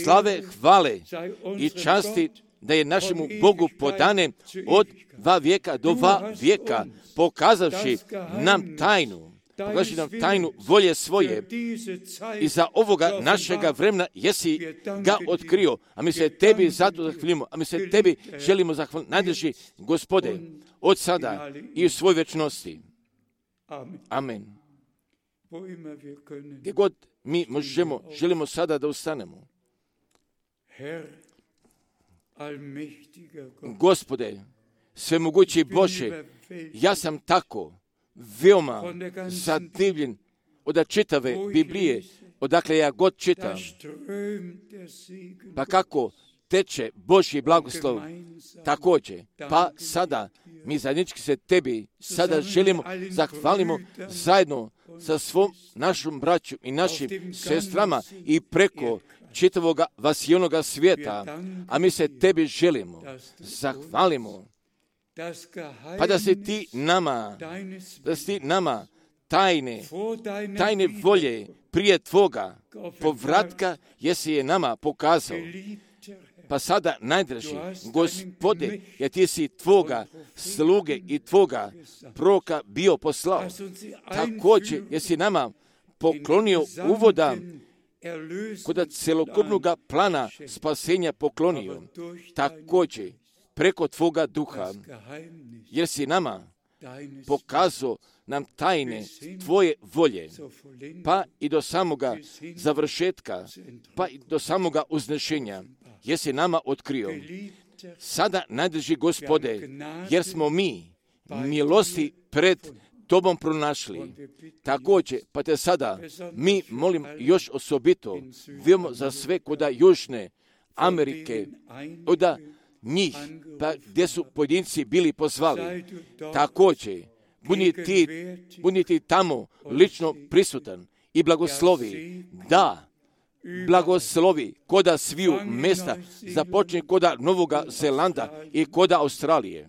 Slave, hvale i časti da je našemu Bogu podane od dva vijeka do dva vijeka, pokazavši nam tajnu, pokazavši nam tajnu volje svoje i za ovoga našega vremena jesi ga otkrio, a mi se tebi zato zahvalimo, a mi se tebi želimo zahvaliti, najdrži Gospode, od sada i u svoj večnosti. Amen. Gdje god mi možemo, želimo sada da ustanemo. Gospode, svemogući Bože, ja sam tako veoma zadivljen od čitave Biblije, odakle ja god čitam. Pa kako teče Božji blagoslov također. Pa sada mi zajednički se tebi sada želimo zahvalimo zajedno sa svom našom braću i našim sestrama i preko čitavoga vasijonoga svijeta, a mi se tebi želimo zahvalimo, pa da si ti nama, da si ti nama tajne, tajne volje prije tvoga povratka jesi je nama pokazao. Pa sada najdraži, Gospode, jer ti si tvoga sluge i tvoga proroka bio poslao. Također jesi nama poklonio uvoda kod celokupnog plana spasenja poklonio. Također preko tvoga duha, jer si nama pokazao nam tajne tvoje volje, pa i do samoga završetka, pa i do samoga uznešenja, jesi nama otkrio. Sada najdrži Gospode, jer smo mi milosti pred tobom pronašli. Također, pa te sada mi molim još osobito, vijemo za sve koda Južne Amerike, oda njih, pa gdje su pojedinci bili pozvali. Također, budi ti, budi ti tamo lično prisutan i blagoslovi, da, blagoslovi koda sviju mesta, započne koda Novoga Zelanda i koda Australije,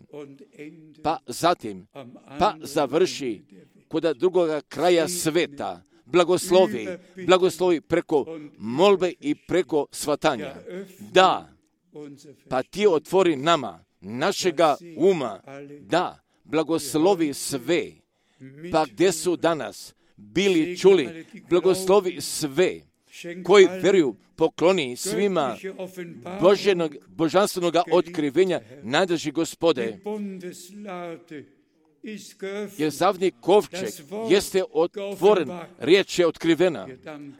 pa zatim, pa završi koda drugoga kraja sveta, blagoslovi, blagoslovi preko molbe i preko svatanja. Da, pa ti otvori nama, našega uma, da, blagoslovi sve, pa gdje su danas bili čuli, blagoslovi sve, koji vjeruju, pokloni svima Boženog, božanstvenog otkrivenja, najdrži Gospode. Jer zavni kovčeg jeste otvoren, riječ je otkrivena,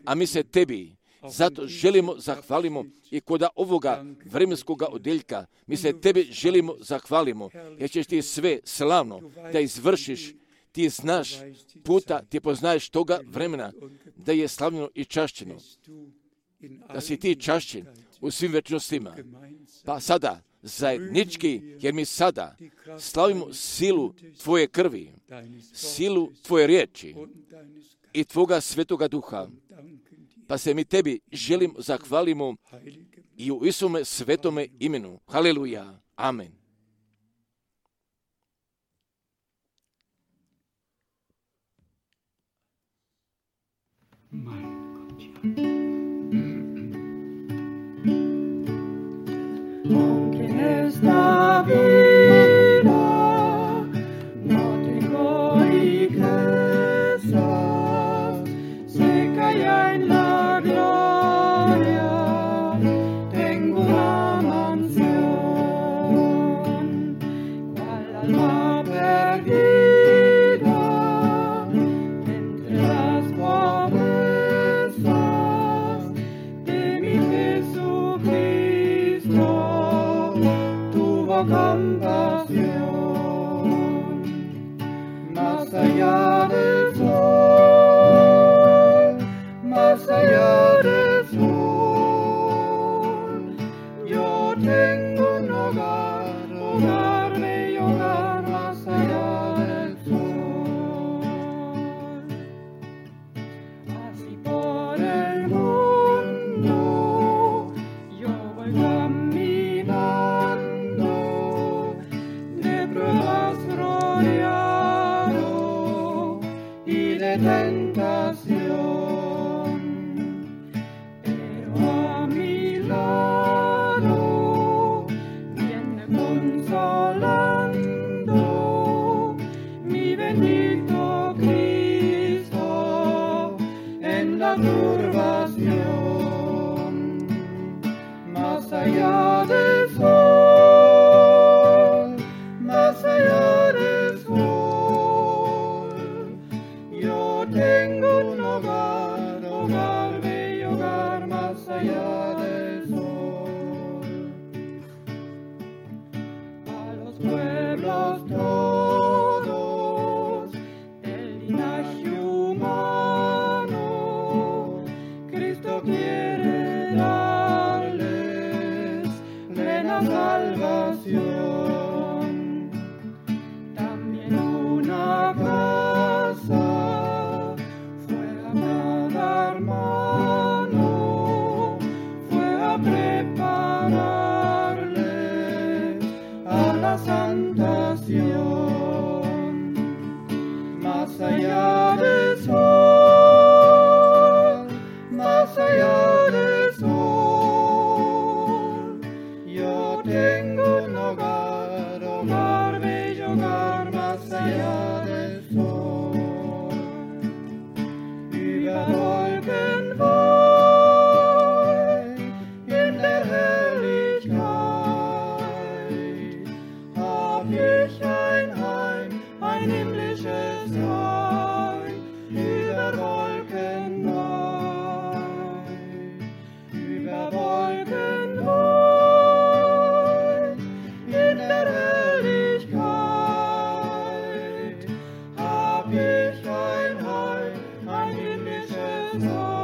a mi se tebi zato želimo zahvalimo i koda ovoga vremenskog odjeljka, mi se tebi želimo zahvalimo, jer ćeš ti sve slavno da izvršiš. Ti znaš puta, ti poznaješ toga vremena da je slavljeno i čašćeno. Da si ti čašćen u svim večnostima. Pa sada, zajednički, jer mi sada slavimo silu tvoje krvi, silu tvoje riječi i tvoga svetoga duha. Pa se mi tebi želim zahvalimo i u Isume svetome imenu. Haleluja. Amen. Esta vida no tengo riquezas, sé que allá en la gloria tengo una mansión, cual alma perdida entre las promesas de mi Jesucristo. Compasión, más allá del sol, más allá del sol, yo tengo un hogar, hogar, bello hogar, más allá del sol. Así por el mundo yo voy caminando, pruebas rodeados tentación, pero a mi lado viene consolando mi bendito Cristo en la turbación, más allá del sol, más allá del sol, yo tengo un hogar, hogar, bello hogar, más allá del sol. A los pueblos todos del linaje humano, Cristo quiere darles plena salvación. También una casa fue a cada hermano, fue a prepararles a la santación. Más allá del sol, más allá del sol, yo tengo un hogar, hogar, bello hogar, más allá del sol. Über Wolken weit, in der Herrlichkeit, hab ich ein Heim, ein himmlisches Heim, über Wolken weit, über Wolken weit, in der Herrlichkeit, hab ich ein Heim, ein himmlisches Heim.